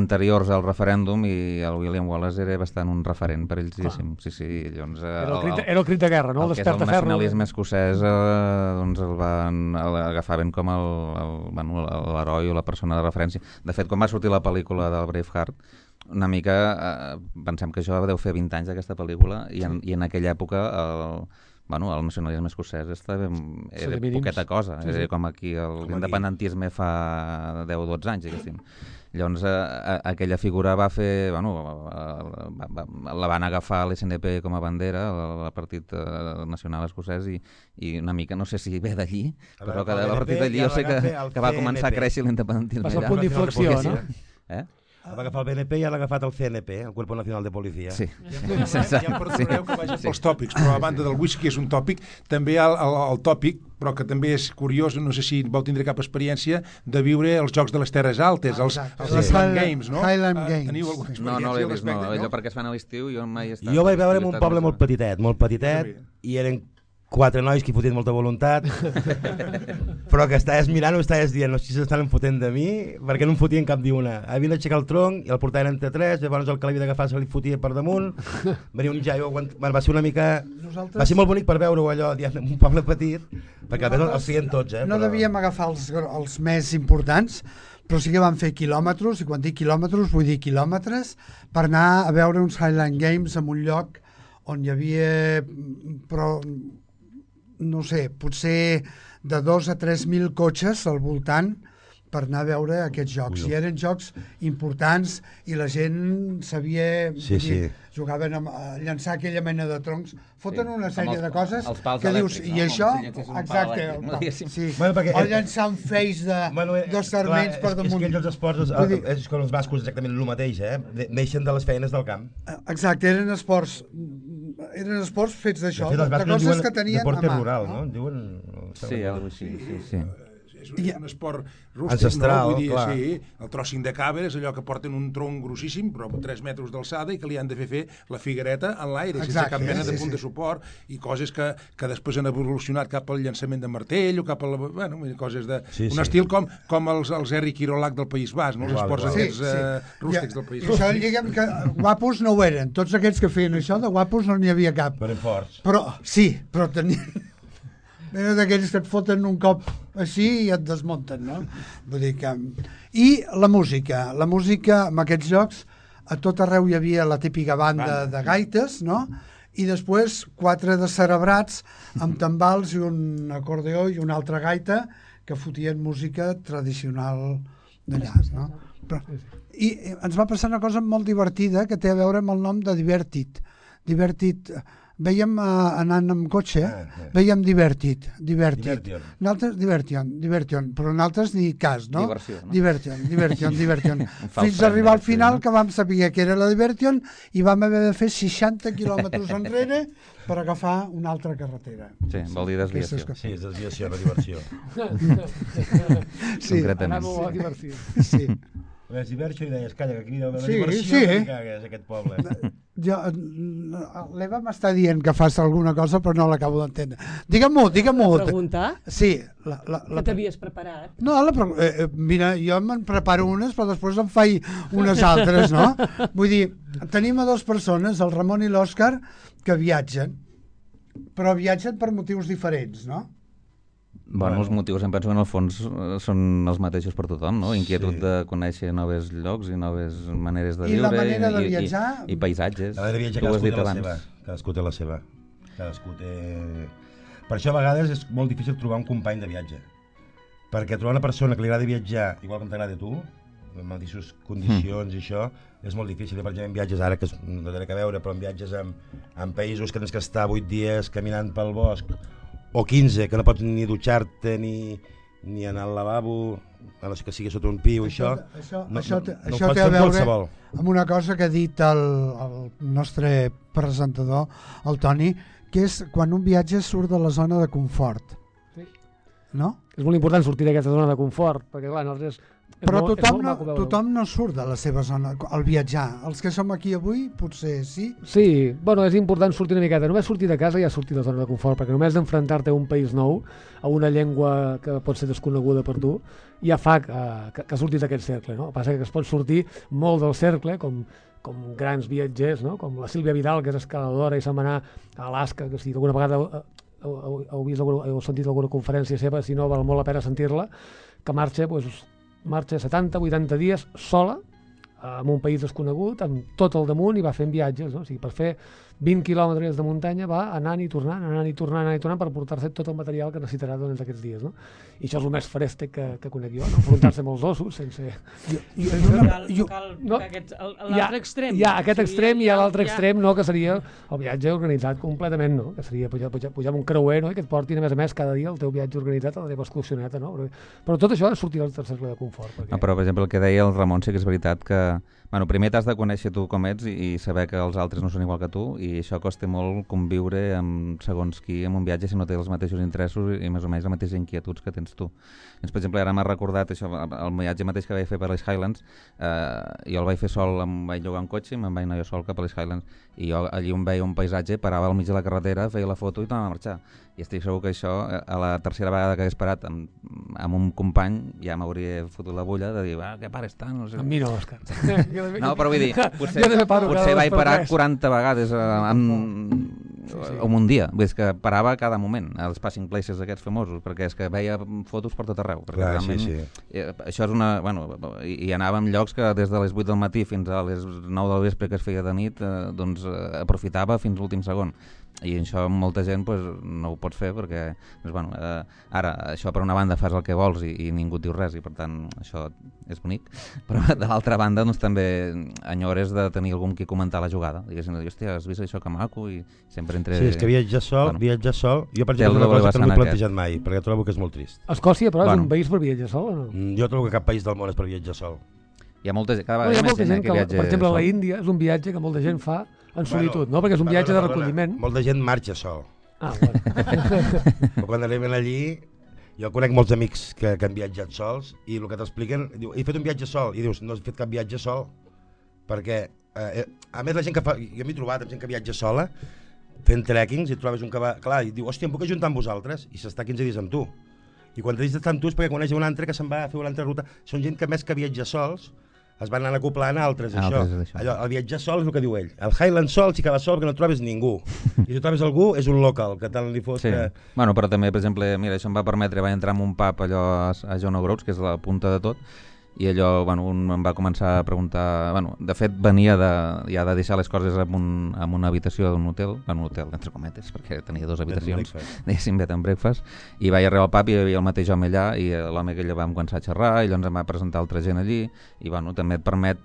anteriors al referèndum, i el William Wallace era bastant un referent per ells, diguéssim. Sí, sí, llavors... Eh, Era el, crit, era el crit de guerra, no? el que és el Desperta ferro. nacionalisme escocès, eh, doncs el van el agafaven com el, el, bueno, l'heroi o la persona de referència. De fet, quan va sortir la pel·lícula del Braveheart, una mica, eh, pensem que això deu fer vint anys d'aquesta pel·lícula, i en, i en aquella època el, bueno, el nacionalisme escocès estava, era de mínims. poqueta cosa, Sí, sí. era com aquí el aquí. independentisme fa deu o dotze anys, diguéssim. Llavors, eh, a- aquella figura va fer... Bueno, va, va, va, la van agafar a l'S N P com a bandera, el, el Partit eh, Nacional Escocès, i, i una mica, no sé si ve d'allí, A però veure, que el a partir B N P d'allí ja jo sé que, l'agafa el que va C N P. començar a créixer l'independentisme Va ser el allà. punt d'inflexió, no? Eh? Va agafar el B N P i ja l'ha agafat el C N P, el Cuerpo Nacional de Policia. Sí. Ja em perdonareu que vagi pels tòpics, però a banda del whisky és un tòpic, també hi ha el, el, el tòpic, però que també és curiós, no sé si vau tindre cap experiència, de viure els Jocs de les Terres Altes, els, Exacte. els Sí. Highland Highland- Games, no? Highland Ah, Games. Teniu alguna No, experiència no l'he al vist, no. respecte, Allò perquè es fan a l'estiu, jo mai he estat... Jo vaig veure en he un estat poble més- molt petitet, molt petitet, i eren quatre nois que hi fotien molta voluntat, però que estaves mirant o estaves dient, no sé si s'estan fotent de mi, perquè no em fotien cap d'una. Havien d'aixecar el tronc i el portaven entre tres, llavors el que l'havia d'agafar se li fotia per damunt, venia un jaio, aguant... bueno, va ser una mica... Nosaltres- Va ser molt bonic per veure-ho allò, diguem, en un poble petit, perquè a més els feien tots, eh? No però... devíem agafar els, els més importants, però sí que vam fer quilòmetres, i quan dic quilòmetres vull dir quilòmetres, per anar a veure uns Highland Games en un lloc on hi havia, però, no sé, potser de dos a tres mil cotxes al voltant per anar a veure aquests jocs. Ui. I eren jocs importants i la gent sabia... Sí, vull dir, sí. jugaven a, a llançar aquella mena de troncs. Foten Sí, una amb sèrie els- de coses els pals que dius, elèctrics, i no? això... Com si llançessin un pal Exacte, elèctric, el no? pal, Diguéssim. sí. Bueno, perquè O ell- llançar un feix de, Bueno, eh, de sarments clar, per és, damunt. és que ells els esports, és, Vull dir- és com els bascos exactament el mateix, eh? De- Neixen de les feines del camp. Exacte, eren esports eren esports fets d'això, de fet, de, els de bascos en coses diuen que tenien deporte a mà. rural, no? no? En diuen... Sí, alguna cosa així, sí, sí. És un, és un esport rústic, Ancestral, no? Vull dir, clar. sí, el trossing de càber és allò que porten un tronc grossíssim, però amb tres metres d'alçada, i que li han de fer fer la figuereta en l'aire, sense Exacte, cap mena de sí, punt sí. de suport, i coses que, que després han evolucionat cap al llançament de martell, o cap a la... Bueno, coses de... Sí, un sí. estil com, com els, els Eric Kirolac del País Basc, no? Els Igual, esports igual. aquests eh, rústics I, del País i això Basc. diguem que guapos no ho eren. Tots aquests que feien això de guapos no n'hi havia cap. Però eren forts. Però, sí, però tenien... Eren d'aquells que et foten un cop així i et desmunten, no? Vull dir que... I la música. La música, en aquests jocs, a tot arreu hi havia la típica banda de gaites, no? I després quatre de cerebrats amb tambals i un acordeó i una altra gaita que fotien música tradicional d'allà, no? Però, i ens va passar una cosa molt divertida que té a veure amb el nom de Divertit. Divertit, veiem uh, anant amb cotxe, ah, ah. veiem Divertit, Divertit. Divertion. Nosaltres, Divertion, Divertion, però nosaltres ni cas, no? Diversió, no? Divertion, Divertion, Divertion. Fins a arribar al final que vam saber que era la Divertion i vam haver de fer seixanta quilòmetres enrere per agafar una altra carretera. Sí, vol dir desviació. Sí, és desviació, no diversió. Sí, concretament. Anava a diversió. sí. Ves diversió i deies, calla, que aquí deu haver Sí, diversió, sí. que cagues aquest poble. Jo, l'Eva m'està dient que fas alguna cosa però no l'acabo d'entendre. Digue-m'ho, digue-m'ho. Preguntar? Sí. La, la, la... Que t'havies preparat? No, la, eh, mira, jo me'n preparo unes però després em faig unes altres, no? Vull dir, tenim a dues persones, el Ramon i l'Òscar, que viatgen, però viatgen per motius diferents, no? Bueno, els motius em penso que en el fons eh, són els mateixos per tothom, no? Inquietud Sí. de conèixer nous llocs i noves maneres de I la viure manera de i, viatjar- i, i paisatges. La manera de viatjar Tu ho has cadascú dit té la abans. seva. Cadascú té la seva. Cadascú té... Per això a vegades és molt difícil trobar un company de viatge. Perquè trobar una persona que li agrada viatjar igual que t'agrada a tu, en mateixes condicions mm. i això, és molt difícil. Per exemple, en viatges ara, que no té res a veure, però en viatges en, en països que tens que estar vuit dies caminant pel bosc, o quinze, que no pots ni dutxar-te ni, ni anar al lavabo, a no ser que sigui sota un pi o això, això, no, això, no, té, no això ho pots té a fer amb veure qualsevol. amb una cosa que ha dit el, el nostre presentador, el Toni, que és quan un viatge surt de la zona de confort. Sí. No? És molt important sortir d'aquesta zona de confort, perquè clar, nosaltres... és Però molt- és tothom molt no, maco veure-ho. tothom no surt de la seva zona al viatjar. Els que som aquí avui potser sí. Sí, bueno, és important sortir una miqueta. Només sortir de casa ja sortir de la zona de confort, perquè només d'enfrontar-te a un país nou, a una llengua que pot ser desconeguda per tu, ja fa que, que, que surtis d'aquest cercle, no? El que passa que es pot sortir molt del cercle, com, com grans viatgers, no? Com la Sílvia Vidal, que és escaladora i se'n va anar a Alaska, que si alguna vegada heu, heu, heu, vist alguna, heu sentit alguna conferència seva, si no val molt la pena sentir-la, que marxa, doncs, marxa setanta vuitanta dies sola en un país desconegut, amb tot el damunt, i va fent viatges, no? O sigui, per fer vint quilòmetres de muntanya va anant i tornant, anant i tornant, anant i tornant per portar-se tot el material que necessitarà durant aquests dies, no? I això és el més frèstec que, que conec jo, no? Enfrontar-se amb els ossos sense... Jo, jo, No jo, cal, no jo, cal no. aquest, el- Hi ha- l'altre extrem. Hi ha aquest O sigui, extrem i hi ha l'altre hi extrem, no? Que seria el viatge organitzat completament, no? Que seria pujar, pujar, pujar amb un creuer, no? I que et portin, a més a més, cada dia el teu viatge organitzat a la teva excursioneta, no? Però, però tot això és sortir del cercle de confort. Perquè... No, però, per exemple, el que deia el Ramon sí que és veritat que... Bueno, primer t'has de conèixer tu com ets i, i saber que els altres no són igual que tu, i això costa molt conviure amb segons qui en un viatge si no té els mateixos interessos i, i més o menys les mateixes inquietuds que tens tu. Doncs, per exemple, ara m'ha recordat això, el viatge mateix que vaig fer per les Highlands, eh, jo el vaig fer sol, em vaig llogar un cotxe i me'n vaig anar jo sol cap a les Highlands, i jo allí on veia un paisatge, parava al mig de la carretera, feia la foto i tornava a marxar. I estic segur que això, a la tercera vegada que hagués parat amb, amb un company, ja m'hauria fotut la bulla de dir, ah, que pares tant? No sé. Amb mi no, Òscar. No, però vull dir, potser, Jo també paro cada potser dos vaig per parar tres. quaranta vegades eh, en, Sí, sí. en un dia. Vull dir, és que parava a cada moment, als passing places aquests famosos, perquè és que veia fotos per tot arreu. Perquè Clar, sí, realment, sí. eh, això és una... Bueno, i, i anava en llocs que des de les vuit del matí fins a les nou del vespre que es feia de nit, eh, doncs eh, aprofitava fins l'últim segon. I això molta gent pues, no ho pots fer perquè doncs, bueno, eh, ara això per una banda fas el que vols i, i ningú et diu res i per tant això és bonic, però de l'altra banda doncs, també enyores de tenir algú amb qui comentar la jugada, diguéssim, hòstia, has vist això que maco? I sempre entre... Sí, és que viatjar sol, Bueno. viatjar sol, jo per Té el exemple una doble cosa que no m'he vessant plantejat mai, perquè trobo que és molt trist. Escòcia, però, Bueno. és un país per viatjar sol o no? Mm, Jo trobo que cap país del món és per viatjar sol. Hi ha molta gent, cada Bueno, vegada hi ha més molta gent, gent eh, que, que viatja per exemple, a la sol. Índia és un viatge que molta gent fa en solitud, Bueno, no? Perquè és un viatge de perdona, recolliment. Molta gent marxa sol. Ah, bueno. Però quan arriben allí, jo conec molts amics que, que han viatjat sols i el que t'expliquen, diu, he fet un viatge sol, i dius, no has fet cap viatge sol, perquè, eh, a més la gent que fa, jo m'he trobat amb gent que viatja sola, fent trekkings, i et trobes un que va, clar, i diu, hòstia, em puc ajuntar amb vosaltres? I s'està quinze dies amb tu. I quan t'has d'estar amb tu és perquè coneix un altre que se'n va a fer una altra ruta. Són gent que més que viatja sols, es van anar acoplant a altres, A això. altres, això. Allò, el viatjar sol és el que diu ell. El Highland sol sí que va sol perquè no trobes ningú. I si trobes algú és un local, que tant li fos Sí. que... Bueno, però també, per exemple, mira, això em va permetre, vaig entrar en un pub allò a, a John O'Groats, que és la punta de tot, i allò, bueno, un em va començar a preguntar, bueno, de fet venia de, ja de deixar les coses en, un, en una habitació d'un hotel, en un hotel entre cometes, perquè tenia dues habitacions, diguéssim, bed and breakfast, i vaig arribar al pub i hi havia el mateix home allà, i l'home que ella vam començar a xerrar, i llavors em va presentar altra gent allí, i bueno, també et permet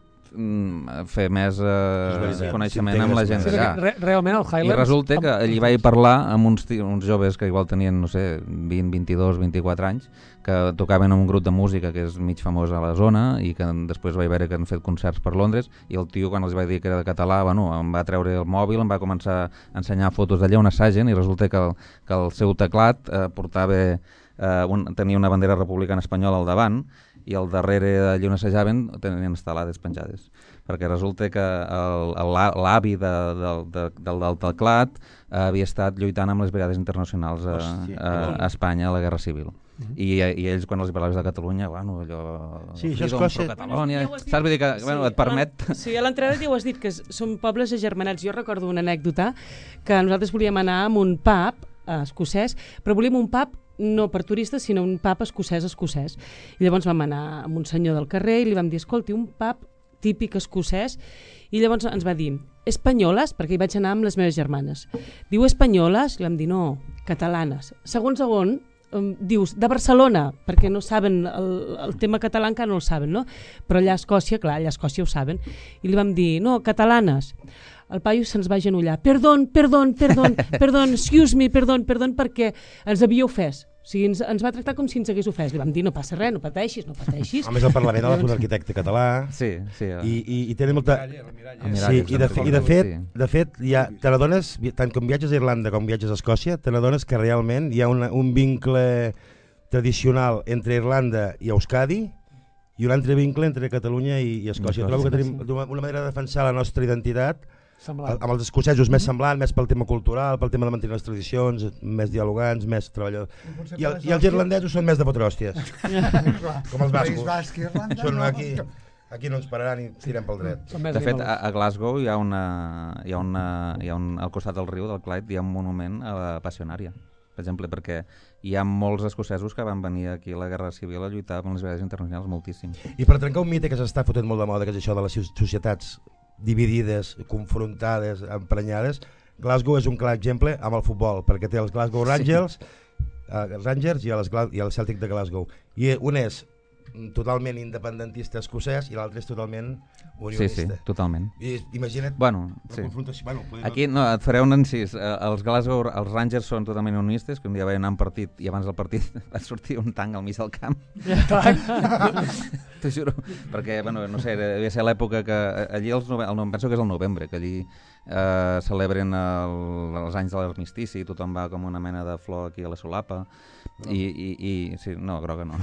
fer més eh, coneixement amb la gent d'allà. Re realment el Highlands... I resulta que allí vaig parlar amb uns, uns joves que igual tenien, no sé, vint, vint-i-dos, vint-i-quatre anys, que tocaven en un grup de música que és mig famós a la zona i que després vaig veure que han fet concerts per Londres, i el tio, quan els vaig dir que era de català, bueno, em va treure el mòbil, em va començar a ensenyar fotos d'allà on assagen, i resulta que el, que el seu teclat eh, portava, eh, un, tenia una bandera republicana espanyola al davant, i al darrere d'allí on assajaven tenien estelades penjades, perquè resulta que l'avi de, de, de, del, del teclat eh, havia estat lluitant amb les brigades internacionals a, a, a Espanya a la Guerra Civil. Uh-huh. I, I ells, quan els parlaves de Catalunya, bueno, allò... Sí, això és cosa... Catalònia... Ja saps? Vull dir que, sí, bueno, et permet... Sí, a l'entrada ja ho has dit, que són pobles agermanats. Jo recordo una anècdota, que nosaltres volíem anar a un pub eh, escocès, però volíem un pub no per turistes, sinó un pub escocès-escocès. I llavors vam anar amb un senyor del carrer i li vam dir, escolti, un pub típic escocès, i llavors ens va dir, espanyoles, perquè hi vaig anar amb les meves germanes. Diu espanyoles? I vam dir, no, catalanes. Segon, segon, um, dius, de Barcelona, perquè no saben, el, el tema català encara no el saben, no? Però allà a Escòcia, clar, allà a Escòcia ho saben. I li vam dir, no, catalanes. El paio se'ns va agenollar. Perdón, perdón, perdón, perdón, excuse me, perdón, perdón, perquè ens havia ofès. O sigui, ens, ens va tractar com si ens hagués ofès. Li vam dir, no passa res, no pateixis, no pateixis. A més, el Parlament ha un arquitecte català. Sí, sí. Ja. I, i, i tenen molta... Sí, i de, i de fet, de fet ja, te n'adones, tant com viatges a Irlanda com viatges a Escòcia, te n'adones que realment hi ha una, un vincle tradicional entre Irlanda i Euskadi i un altre vincle entre Catalunya i, i Escòcia. Trobo que tenim una manera de defensar la nostra identitat semblant. Amb els escocesos més semblant, més pel tema cultural, pel tema de mantenir les tradicions, més dialogants, més treballadors. I, el, i els irlandesos són més de fotre hòsties. Com els bascos. Basc, Irlanda, són no, aquí, aquí no ens pararan i tirem pel dret. De fet, a, a Glasgow hi ha, una, hi ha, una, hi ha un, al costat del riu, del Clyde, hi ha un monument a la Passionària. Per exemple, perquè hi ha molts escocesos que van venir aquí a la Guerra Civil a lluitar amb les brigades internacionals, moltíssim. I per trencar un mite que s'està fotent molt de moda, que és això de les societats dividides, confrontades, emprenyades, Glasgow és un clar exemple amb el futbol, perquè té els Glasgow Rangers, sí. uh, Rangers i, les, i el Celtic de Glasgow. I un és totalment independentista escocès i l'altre és totalment unionista. Sí, sí, totalment. I imagina't bueno, sí. Bueno, aquí no, et faré un encís. Uh, els Glasgow, els Rangers són totalment unionistes, que un dia van anar a un partit i abans del partit va sortir un tanc al mig del camp. T'ho juro. Perquè, bueno, no sé, devia ser l'època que allí, els nove... el, penso que és el novembre, que allí eh, celebren el, els anys de l'armistici i tothom va com una mena de flor aquí a la solapa. I, i, i sí, no, groga no.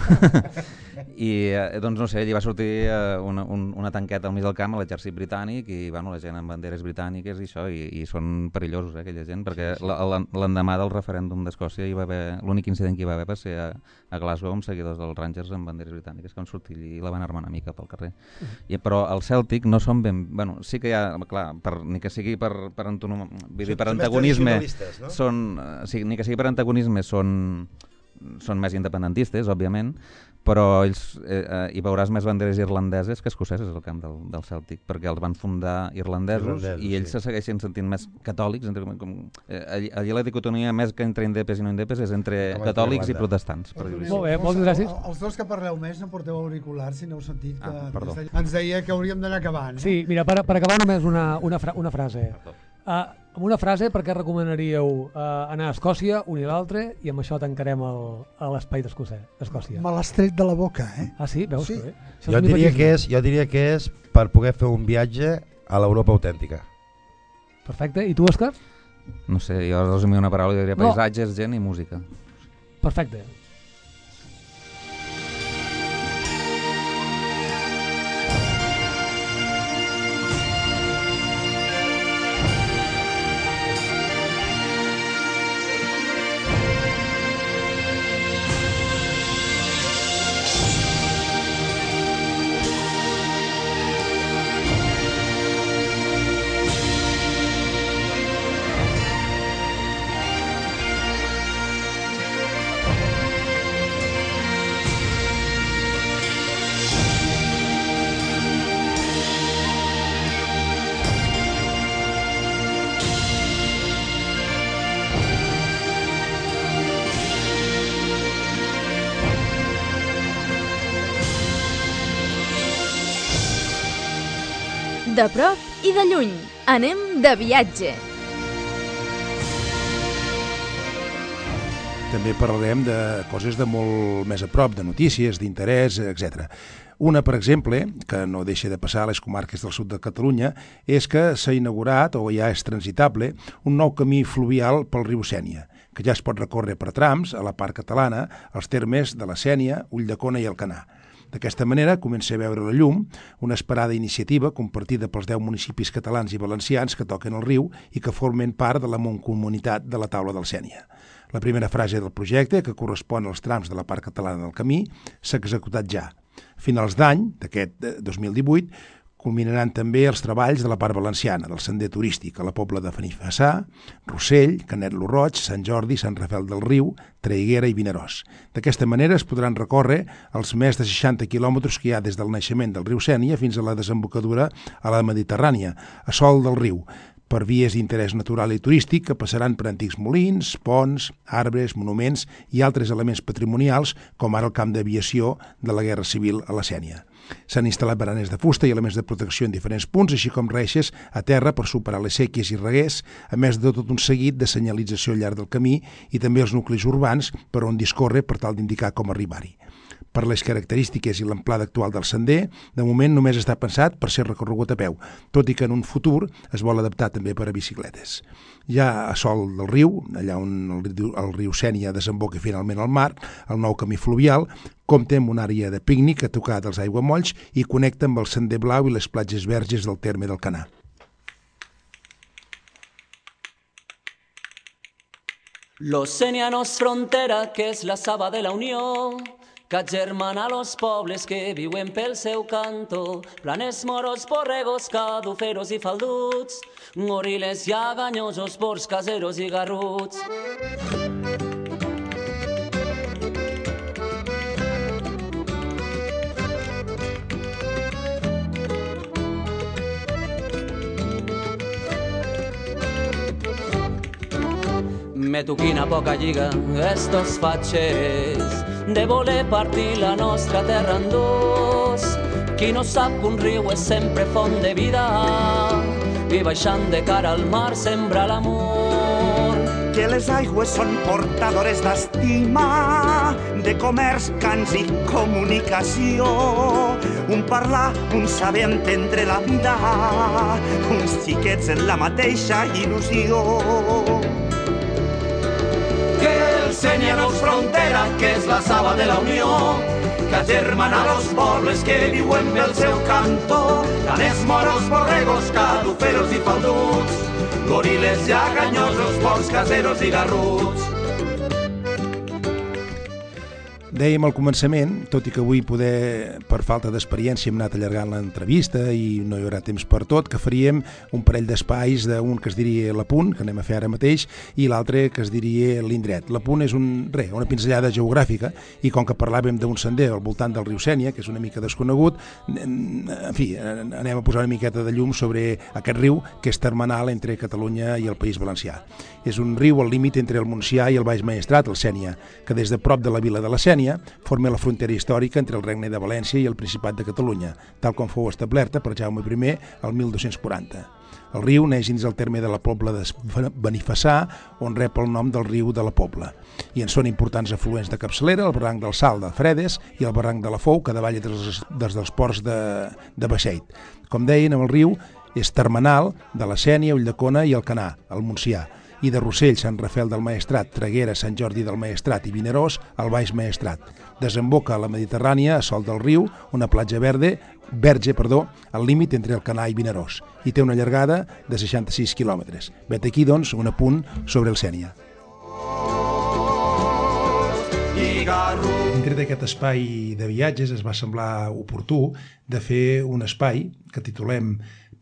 I eh, doncs no sé, allí va sortir eh, una, un, una tanqueta al mig del camp a l'exèrcit britànic i bueno, la gent amb banderes britàniques i això, i, i són perillosos eh, aquella gent, perquè l'endemà del referèndum d'Escòcia hi va haver, l'únic incident que hi va haver va ser a, a Glasgow amb seguidors dels Rangers amb banderes britàniques que van sortir i la van armar una mica pel carrer. I, però el Celtic no són ben... Bueno, sí que hi ha, clar, per, ni que sigui per, per, antonom, vull dir, per antagonisme, no? Són, sí, ni que sigui per antagonisme són són més independentistes, òbviament, però ells, eh, eh, hi veuràs més banderes irlandeses que escoceses al camp del, del Celtic, perquè els van fundar irlandesos, irlandesos i ells sí. se segueixen sentint més catòlics. Entre, com, eh, allí, allí la dicotomia més que entre indepes i no indepes és entre com catòlics i protestants. Per dir Molt bé, moltes gràcies. Els, els dos que parleu més no porteu auriculars, si no heu sentit que ah, ens deia que hauríem d'anar acabant. Eh? Sí, mira, per, per acabar només una, una, fra una frase. Uh, amb una frase, per què recomanaríeu uh, anar a Escòcia, un i l'altre, i amb això tancarem l'espai d'Escòcia? Me l'has tret de la boca, eh? Ah, sí? Veus? Sí. Bé. Jo, diria que és, jo diria que és per poder fer un viatge a l'Europa autèntica. Perfecte. I tu, Òscar? No sé, jo resumir una paraula, jo diria no. paisatges, gent i música. Perfecte. De prop i de lluny, anem de viatge. També parlarem de coses de molt més a prop, de notícies, d'interès, etcètera. Una, per exemple, que no deixa de passar a les comarques del sud de Catalunya, és que s'ha inaugurat, o ja és transitable, un nou camí fluvial pel riu Sénia, que ja es pot recórrer per trams a la part catalana, als termes de la Sénia, Ulldecona i Alcanar. D'aquesta manera comença a veure la llum una esperada iniciativa compartida pels deu municipis catalans i valencians que toquen el riu i que formen part de la mancomunitat de la Taula del Sénia. La primera frase del projecte, que correspon als trams de la part catalana del camí, s'ha executat ja. A finals d'any, d'aquest dos mil divuit, culminaran també els treballs de la part valenciana, del sender turístic a la Pobla de Benifassà, Rossell, Canet lo Roig, Sant Jordi, Sant Rafel del Riu, Traiguera i Vinaròs. D'aquesta manera es podran recórrer els més de seixanta quilòmetres que hi ha des del naixement del riu Sénia fins a la desembocadura a la Mediterrània, a sol del riu, per vies d'interès natural i turístic que passaran per antics molins, ponts, arbres, monuments i altres elements patrimonials, com ara el camp d'aviació de la Guerra Civil a la Sénia. S'han instal·lat baranes de fusta i elements de protecció en diferents punts, així com reixes a terra per superar les séquies i reguers, a més de tot un seguit de senyalització al llarg del camí i també els nuclis urbans per on discorre per tal d'indicar com arribar-hi. Per les característiques i l'amplada actual del sender, de moment només està pensat per ser recorregut a peu, tot i que en un futur es vol adaptar també per a bicicletes. Ja a sol del riu, allà on el riu, el riu Sénia desemboca finalment al mar, el nou camí fluvial compta amb una àrea de pícnic a tocar dels aiguamolls i connecta amb el sender blau i les platges verges del terme d'Alcanar. Los Sénia no és frontera, que és la saba de la Unió, que agermana los pobles que viuen pel seu canto, planes, moros, borregos, caduferos i falduts, goriles, llaganyosos, porcs, caseros i garruts. Meto quina poca lliga, estos fatxers, de voler partir la nostra terra en dos. Qui no sap que un riu és sempre font de vida i baixant de cara al mar sembra l'amor. Que les aigües són portadores d'estima, de comerç, cants i comunicació. Un parlar, un saber entendre la vida, uns xiquets en la mateixa il·lusió. Que el Sénia no és frontera, que és la saba de la Unió, que agermana los pobles que viuen pel seu cantó, caners, moros, borregos, caduferos i falduts, goriles, llaganyosos, porcs, caseros i garruts. Dèiem al començament, tot i que avui poder, per falta d'experiència, hem anat allargant l'entrevista i no hi haurà temps per tot, que faríem un parell d'espais d'un que es diria l'Apunt, que anem a fer ara mateix, i l'altre que es diria l'Indret. L'Apunt és un, re, una pinzellada geogràfica i com que parlàvem d'un sender al voltant del riu Sénia, que és una mica desconegut, en fi, anem a posar una miqueta de llum sobre aquest riu que és termenal entre Catalunya i el País Valencià. És un riu al límit entre el Montsià i el Baix Maestrat, el Sénia, que des de prop de la vila de la Sénia forma la frontera històrica entre el Regne de València i el Principat de Catalunya, tal com fou establerta per Jaume primer el mil dos-cents quaranta. El riu neix dins el terme de la Pobla de Benifassà, on rep el nom del riu de la Pobla. I en són importants afluents de capçalera, el barranc del Salt de Fredes i el barranc de la Fou, que davalla des, des dels ports de, de Baixeit. Com deien, el riu és termenal de la Sénia, Ulldecona i Alcanar, al Montsià, i de Rossell, Sant Rafel del Maestrat, Traiguera, Sant Jordi del Maestrat i Vinaròs, al Baix Maestrat. Desemboca a la Mediterrània, a sol del riu, una platja verde, verge, perdó, al límit entre Alcanar i Vinaròs, i té una llargada de seixanta-sis quilòmetres. Vet aquí, doncs, un apunt sobre el Sénia. Dintre d'aquest espai de viatges es va semblar oportú de fer un espai que titulem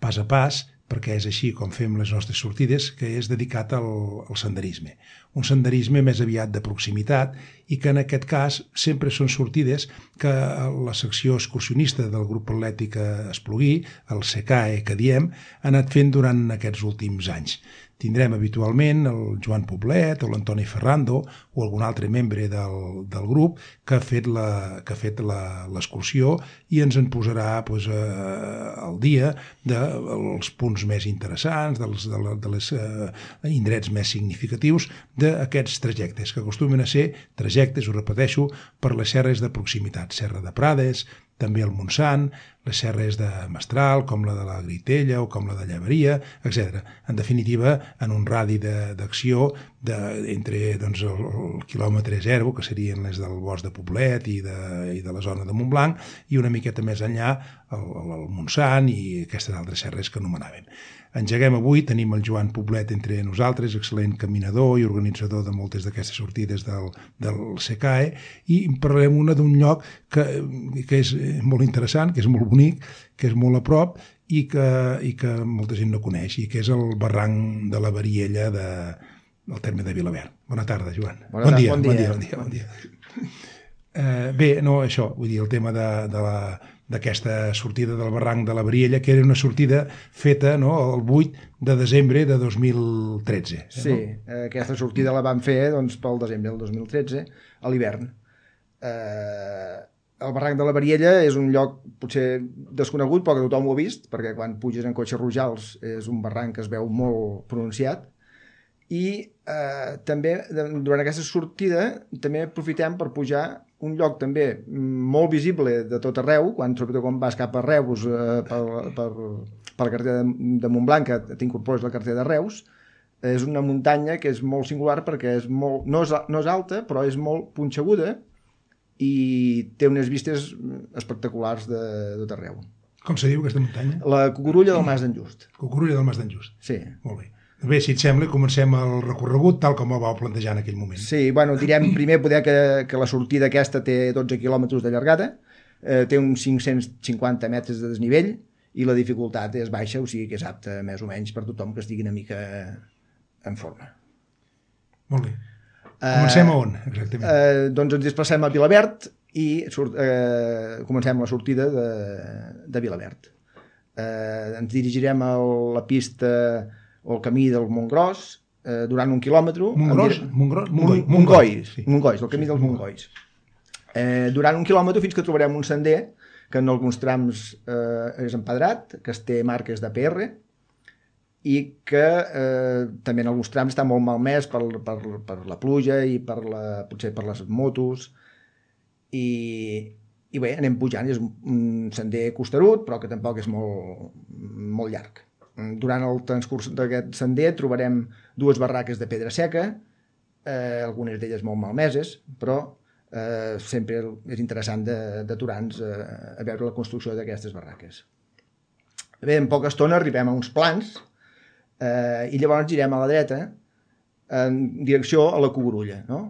Pas a Pas, perquè és així com fem les nostres sortides, que és dedicat al, al senderisme. Un senderisme més aviat de proximitat i que en aquest cas sempre són sortides que la secció excursionista del grup atlètic Espluguí, el SECAE que diem, ha anat fent durant aquests últims anys. tindrem habitualment el Joan Poblet o l'Antoni Ferrando o algun altre membre del, del grup que ha fet la, que ha fet l'excursió i ens en posarà pues, eh, al dia dels punts més interessants, dels de, la, de les eh, indrets més significatius d'aquests trajectes, que acostumen a ser trajectes, ho repeteixo, per les serres de proximitat, Serra de Prades, també el Montsant, les serres de Mestral, com la de la Gritella o com la de Llevaria, etcètera. En definitiva, en un radi d'acció de, entre doncs, el, el quilòmetre zero, que serien les del bosc de Poblet i de, i de la zona de Montblanc, i una miqueta més enllà el, el, el Montsant i aquestes altres serres que anomenàvem. Engeguem avui, tenim el Joan Poblet entre nosaltres, excel·lent caminador i organitzador de moltes d'aquestes sortides del, del C C A E, i parlarem una d'un lloc que, que és molt interessant, que és molt bonic, que és molt a prop i que, i que molta gent no coneix, i que és el barranc de la Variella de, del terme de Vilaverd. Bona tarda, Joan. Bona bon, tarda, dia, bon dia. Bon dia, bon dia, bon dia. Uh, bé, no, això, vull dir, el tema de, de la d'aquesta sortida del barranc de la Variella, que era una sortida feta no, el vuit de desembre de dos mil tretze. Eh, sí, no? Aquesta sortida la vam fer doncs, pel desembre del dos mil tretze, a l'hivern. Eh, el barranc de la Variella és un lloc potser desconegut, però que tothom ho ha vist, perquè quan puges en cotxe Rojals és un barranc que es veu molt pronunciat, i eh, també durant aquesta sortida també aprofitem per pujar un lloc també molt visible de tot arreu, quan, sobretot quan vas cap a Reus eh, per, per, per la carretera de, de Montblanc, que t'incorpores la carretera de Reus, és una muntanya que és molt singular perquè és molt, no, és, no és alta, però és molt punxeguda i té unes vistes espectaculars de, de tot arreu. Com se diu aquesta muntanya? La Cucurulla del Mas d'en Just. Cucurulla del Mas d'en Just. Sí. Molt bé. Bé, si et sembla, comencem el recorregut tal com el vau plantejar en aquell moment. Sí, bueno, direm primer poder que, que la sortida aquesta té dotze quilòmetres de llargada, eh, té uns cinc-cents cinquanta metres de desnivell i la dificultat és baixa, o sigui que és apta més o menys per tothom que estigui una mica en forma. Molt bé. Comencem a on, exactament? Eh, doncs ens desplacem a Vilaverd i surt, eh, comencem la sortida de, de Vilaverd. Eh, ens dirigirem a la pista o el camí del Montgros, eh, durant un quilòmetre... Montgros? Montgros? Montgois, sí. Montgois, el camí dels Montgois. Eh, durant un quilòmetre fins que trobarem un sender que en alguns trams eh, és empedrat, que es té marques de P R, i que eh, també en alguns trams està molt malmès per, per, per la pluja i per la, potser per les motos, i, i bé, anem pujant, és un, un sender costerut, però que tampoc és molt, molt llarg. Durant el transcurs d'aquest sender trobarem dues barraques de pedra seca, eh, algunes d'elles molt malmeses, però eh, sempre és interessant d'aturar-nos eh, a veure la construcció d'aquestes barraques. Bé, en poca estona arribem a uns plans eh, i llavors girem a la dreta en direcció a la Cucurulla. No?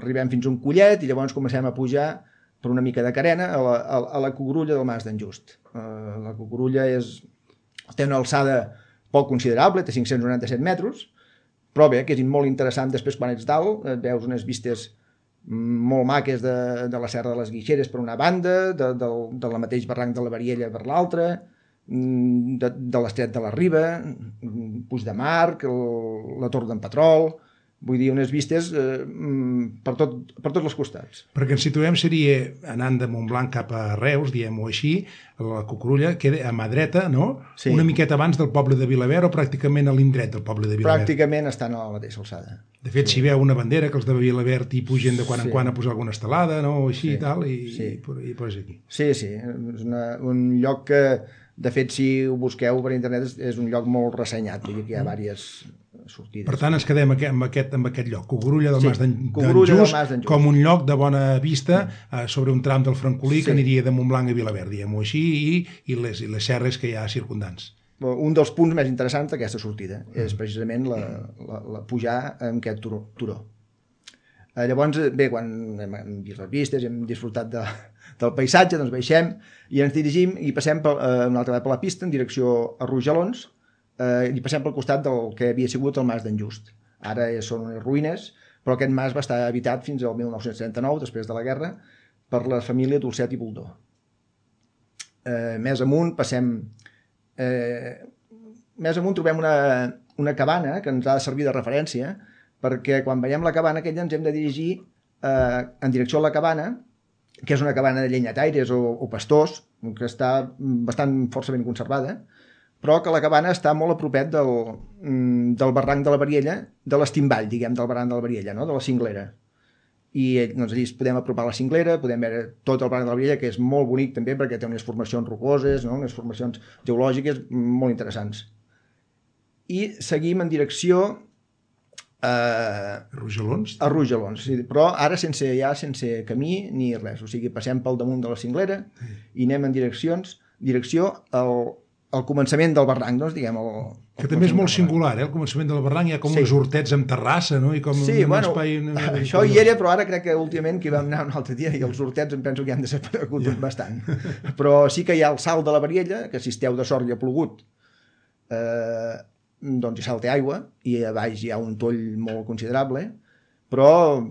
Arribem fins a un collet i llavors comencem a pujar per una mica de carena a la, a, a la Cucurulla del Mas d'en Just. Eh, la Cucurulla és... té una alçada poc considerable, té cinc-cents noranta-set metres, però bé, que és molt interessant després quan ets dalt, et veus unes vistes molt maques de, de la Serra de les Guixeres per una banda, de, de, de la mateix barranc de la Variella per l'altra, de, de l'Estret de la Riba, Puig de Marc, el, la Torre d'en Petrol, vull dir, unes vistes eh, per, tot, per tots els costats. Perquè ens situem seria anant de Montblanc cap a Reus, diem-ho així, la Cucurulla queda a mà dreta, no? Sí. Una miqueta abans del poble de Vilaverd o pràcticament a l'indret del poble de Vilaverd? Pràcticament estan a la mateixa alçada. De fet, sí. Si veu una bandera que els de Vilaverd hi pugen de quan sí. en quan a posar alguna estelada, no? O així sí. i tal, i, sí. i, i pues aquí. Sí, sí, és una, un lloc que, de fet, si ho busqueu per internet, és, és un lloc molt ressenyat, vull dir que hi ha diverses sortides. Per tant, ens quedem amb aquest, amb aquest lloc, Cucurulla del sí, Mas d'en Just, Just, com un lloc de bona vista eh, sobre un tram del Francolí sí. que aniria de Montblanc a Vilaverd, diguem-ho així, i, i, les, i les serres que hi ha circundants. Un dels punts més interessants d'aquesta sortida mm. és precisament la, la, la pujar en aquest turó. turó. Eh, llavors, bé, quan hem, hem vist les vistes, hem disfrutat de, del paisatge, doncs baixem i ens dirigim i passem per, eh, una altra vegada per la pista en direcció a Rojalons, eh, i passem pel costat del que havia sigut el Mas d'en Just. Ara són unes ruïnes, però aquest mas va estar habitat fins al mil nou-cents trenta-nou, després de la guerra, per la família Dolcet i Boldó. Eh, més amunt passem... Eh, més amunt trobem una, una cabana que ens ha de servir de referència, perquè quan veiem la cabana aquella ens hem de dirigir eh, en direcció a la cabana, que és una cabana de llenyataires o, o pastors, que està bastant força ben conservada, però que la cabana està molt a propet del, del barranc de la Bariella, de l'estimball, diguem, del barranc de la Bariella, no? De la cinglera. I doncs, allí podem apropar la cinglera, podem veure tot el barranc de la Bariella, que és molt bonic també perquè té unes formacions rocoses, no? Unes formacions geològiques molt interessants. I seguim en direcció a Rojalons, a Rojalons, sí, però ara sense ja sense camí ni res, o sigui, passem pel damunt de la cinglera i anem en direccions, direcció al, al començament del barranc, doncs, diguem, el, que també és molt singular, eh? Al començament del barranc hi ha com sí. uns hortets amb terrassa, no? I com sí, un bueno, espai... això hi era, però ara crec que últimament que hi vam anar un altre dia i els hortets em penso que han desaparegut ja. bastant. Però sí que hi ha el salt de la Bariella, que si esteu de sort i ha plogut, eh, doncs hi salta aigua i a baix hi ha un toll molt considerable, però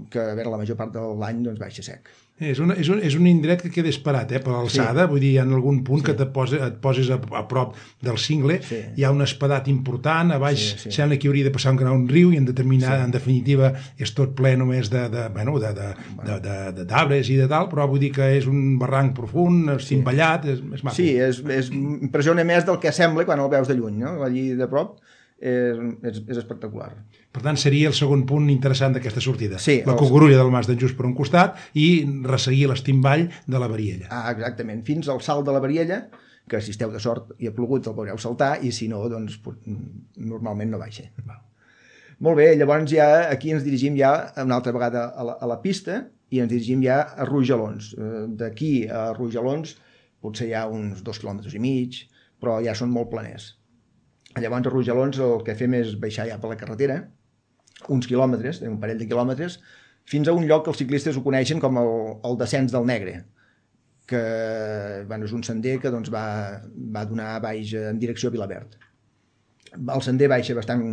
que a veure, la major part de l'any doncs baixa sec. És, una, és, un, és un indret que queda esperat, eh, per l'alçada, sí. Vull dir, en algun punt sí. que te poses, et poses a, a prop del cingle, sí. hi ha un espadat important, a baix sí, sí. sembla que hauria de passar un gran riu i en, determinar, sí. en definitiva és tot ple només de, de, bueno, de, de, de, de, de, d'arbres i de tal, però vull dir que és un barranc profund, cimballat, és, és maco. Sí, és, és, impressiona més del que sembla quan el veus de lluny, no? Allí de prop. És, és, és espectacular. Per tant, seria el segon punt interessant d'aquesta sortida. Sí, la els... Cucurulla del Mas d'en Just per un costat i resseguir l'estimball de la Bariella. Ah, exactament. Fins al salt de la Bariella, que si esteu de sort i ha plogut el veureu saltar, i si no, doncs normalment no baixa. Val. Molt bé, llavors ja aquí ens dirigim ja una altra vegada a la, a la pista i ens dirigim ja a Rojalons. D'aquí a Rojalons potser hi ha uns dos quilòmetres i mig, però ja són molt planers. Llavors a Rojalons el que fem és baixar ja per la carretera, uns quilòmetres, un parell de quilòmetres, fins a un lloc que els ciclistes ho coneixen com el, el descens del Negre, que bueno, és un sender que doncs, va, va donar baix en direcció a Vilaverd. El sender baixa bastant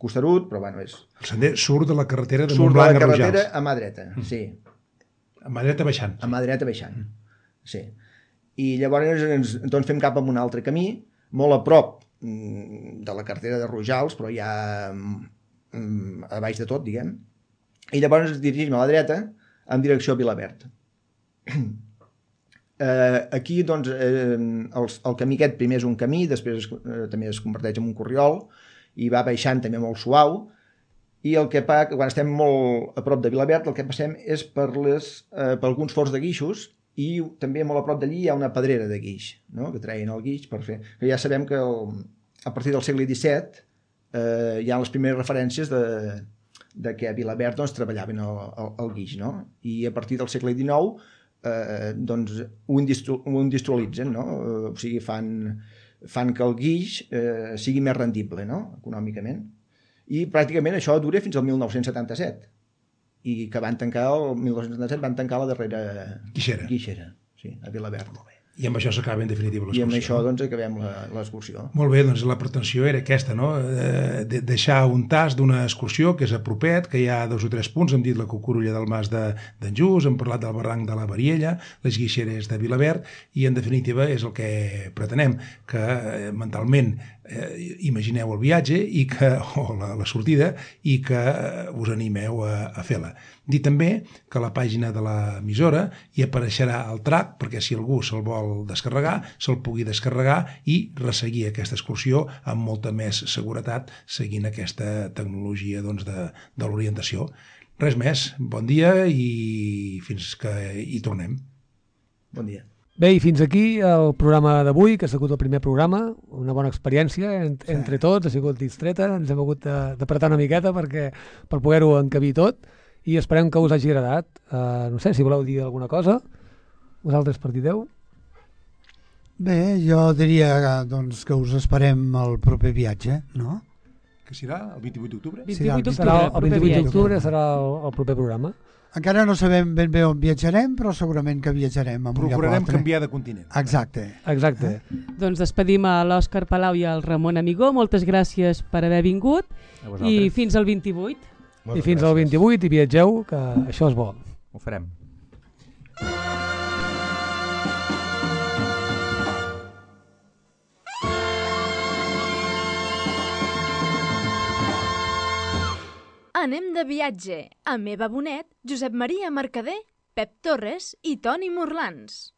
costerut, però bueno, és... El sender surt de la carretera de Montblanc a Rojals. Surt de la carretera a mà dreta, mm. sí. A mà dreta baixant. A mà dreta baixant, mm. sí. I llavors ens, doncs fem cap a un altre camí, molt a prop de la carretera de Rojals, però ja a baix de tot, diguem. I llavors ens dirigim a la dreta en direcció a Vilaverd. Eh, aquí, doncs, eh, el, el camí aquest primer és un camí, després es, eh, també es converteix en un corriol i va baixant també molt suau, i el que fa, quan estem molt a prop de Vilaverd, el que passem és per, les, eh, per alguns forts de guixos, i també molt a prop d'allí hi ha una pedrera de guix, no? Que treien el guix per fer... Que ja sabem que el, a partir del segle disset eh, hi ha les primeres referències de, de que a Vilaverd doncs, treballaven el, el, el guix, no? I a partir del segle dinou eh, doncs, ho, industri ho industrialitzen, no? O sigui, fan, fan que el guix eh, sigui més rendible, no? Econòmicament. I pràcticament això dura fins al mil nou-cents setanta-set. I que van tancar, el mil nou-cents setanta-set van tancar la darrera guixera, guixera sí, a Vilaverd. Molt bé. I amb això s'acaba en definitiva l'excursió. I amb això doncs acabem l'excursió. Molt bé, doncs la pretensió era aquesta, no? De deixar un tast d'una excursió que és a propet, que hi ha dos o tres punts, hem dit la Cucurulla del Mas d'en Just, hem parlat del barranc de la Bariella, les guixeres de Vilaverd, i en definitiva és el que pretenem, que eh, mentalment eh, imagineu el viatge i que, o la, la sortida i que eh, us animeu a, a fer-la. Dir també que a la pàgina de l'emissora hi apareixerà el track perquè si algú se'l vol descarregar, se'l pugui descarregar i resseguir aquesta excursió amb molta més seguretat seguint aquesta tecnologia doncs, de, de l'orientació. Res més, bon dia i fins que hi tornem. Bon dia. Bé, i fins aquí el programa d'avui, que ha sigut el primer programa, una bona experiència ent sí. entre tots, ha sigut distreta, ens hem hagut d'apretar una miqueta perquè, per poder-ho encabir tot, i esperem que us hagi agradat. Uh, no sé, si voleu dir alguna cosa, vosaltres partideu? Bé, jo diria doncs, que us esperem el proper viatge, no? Que serà el vint-i-vuit d'octubre? vint-i-vuit d'octubre, el vint-i-vuit d'octubre serà el, el proper programa. Encara no sabem ben bé on viatjarem, però segurament que viatjarem a un lloc altre. Procurarem canviar de continent. Exacte. Exacte. Eh? Doncs despedim a l'Òscar Palau i al Ramon Amigó. Moltes gràcies per haver vingut i fins al vint-i-vuit. I fins al vint-i-vuit i viatgeu, que això és bo. Ho farem. Anem de viatge amb Eva Bonet, Josep Maria Mercader, Pep Torres i Toni Morlans.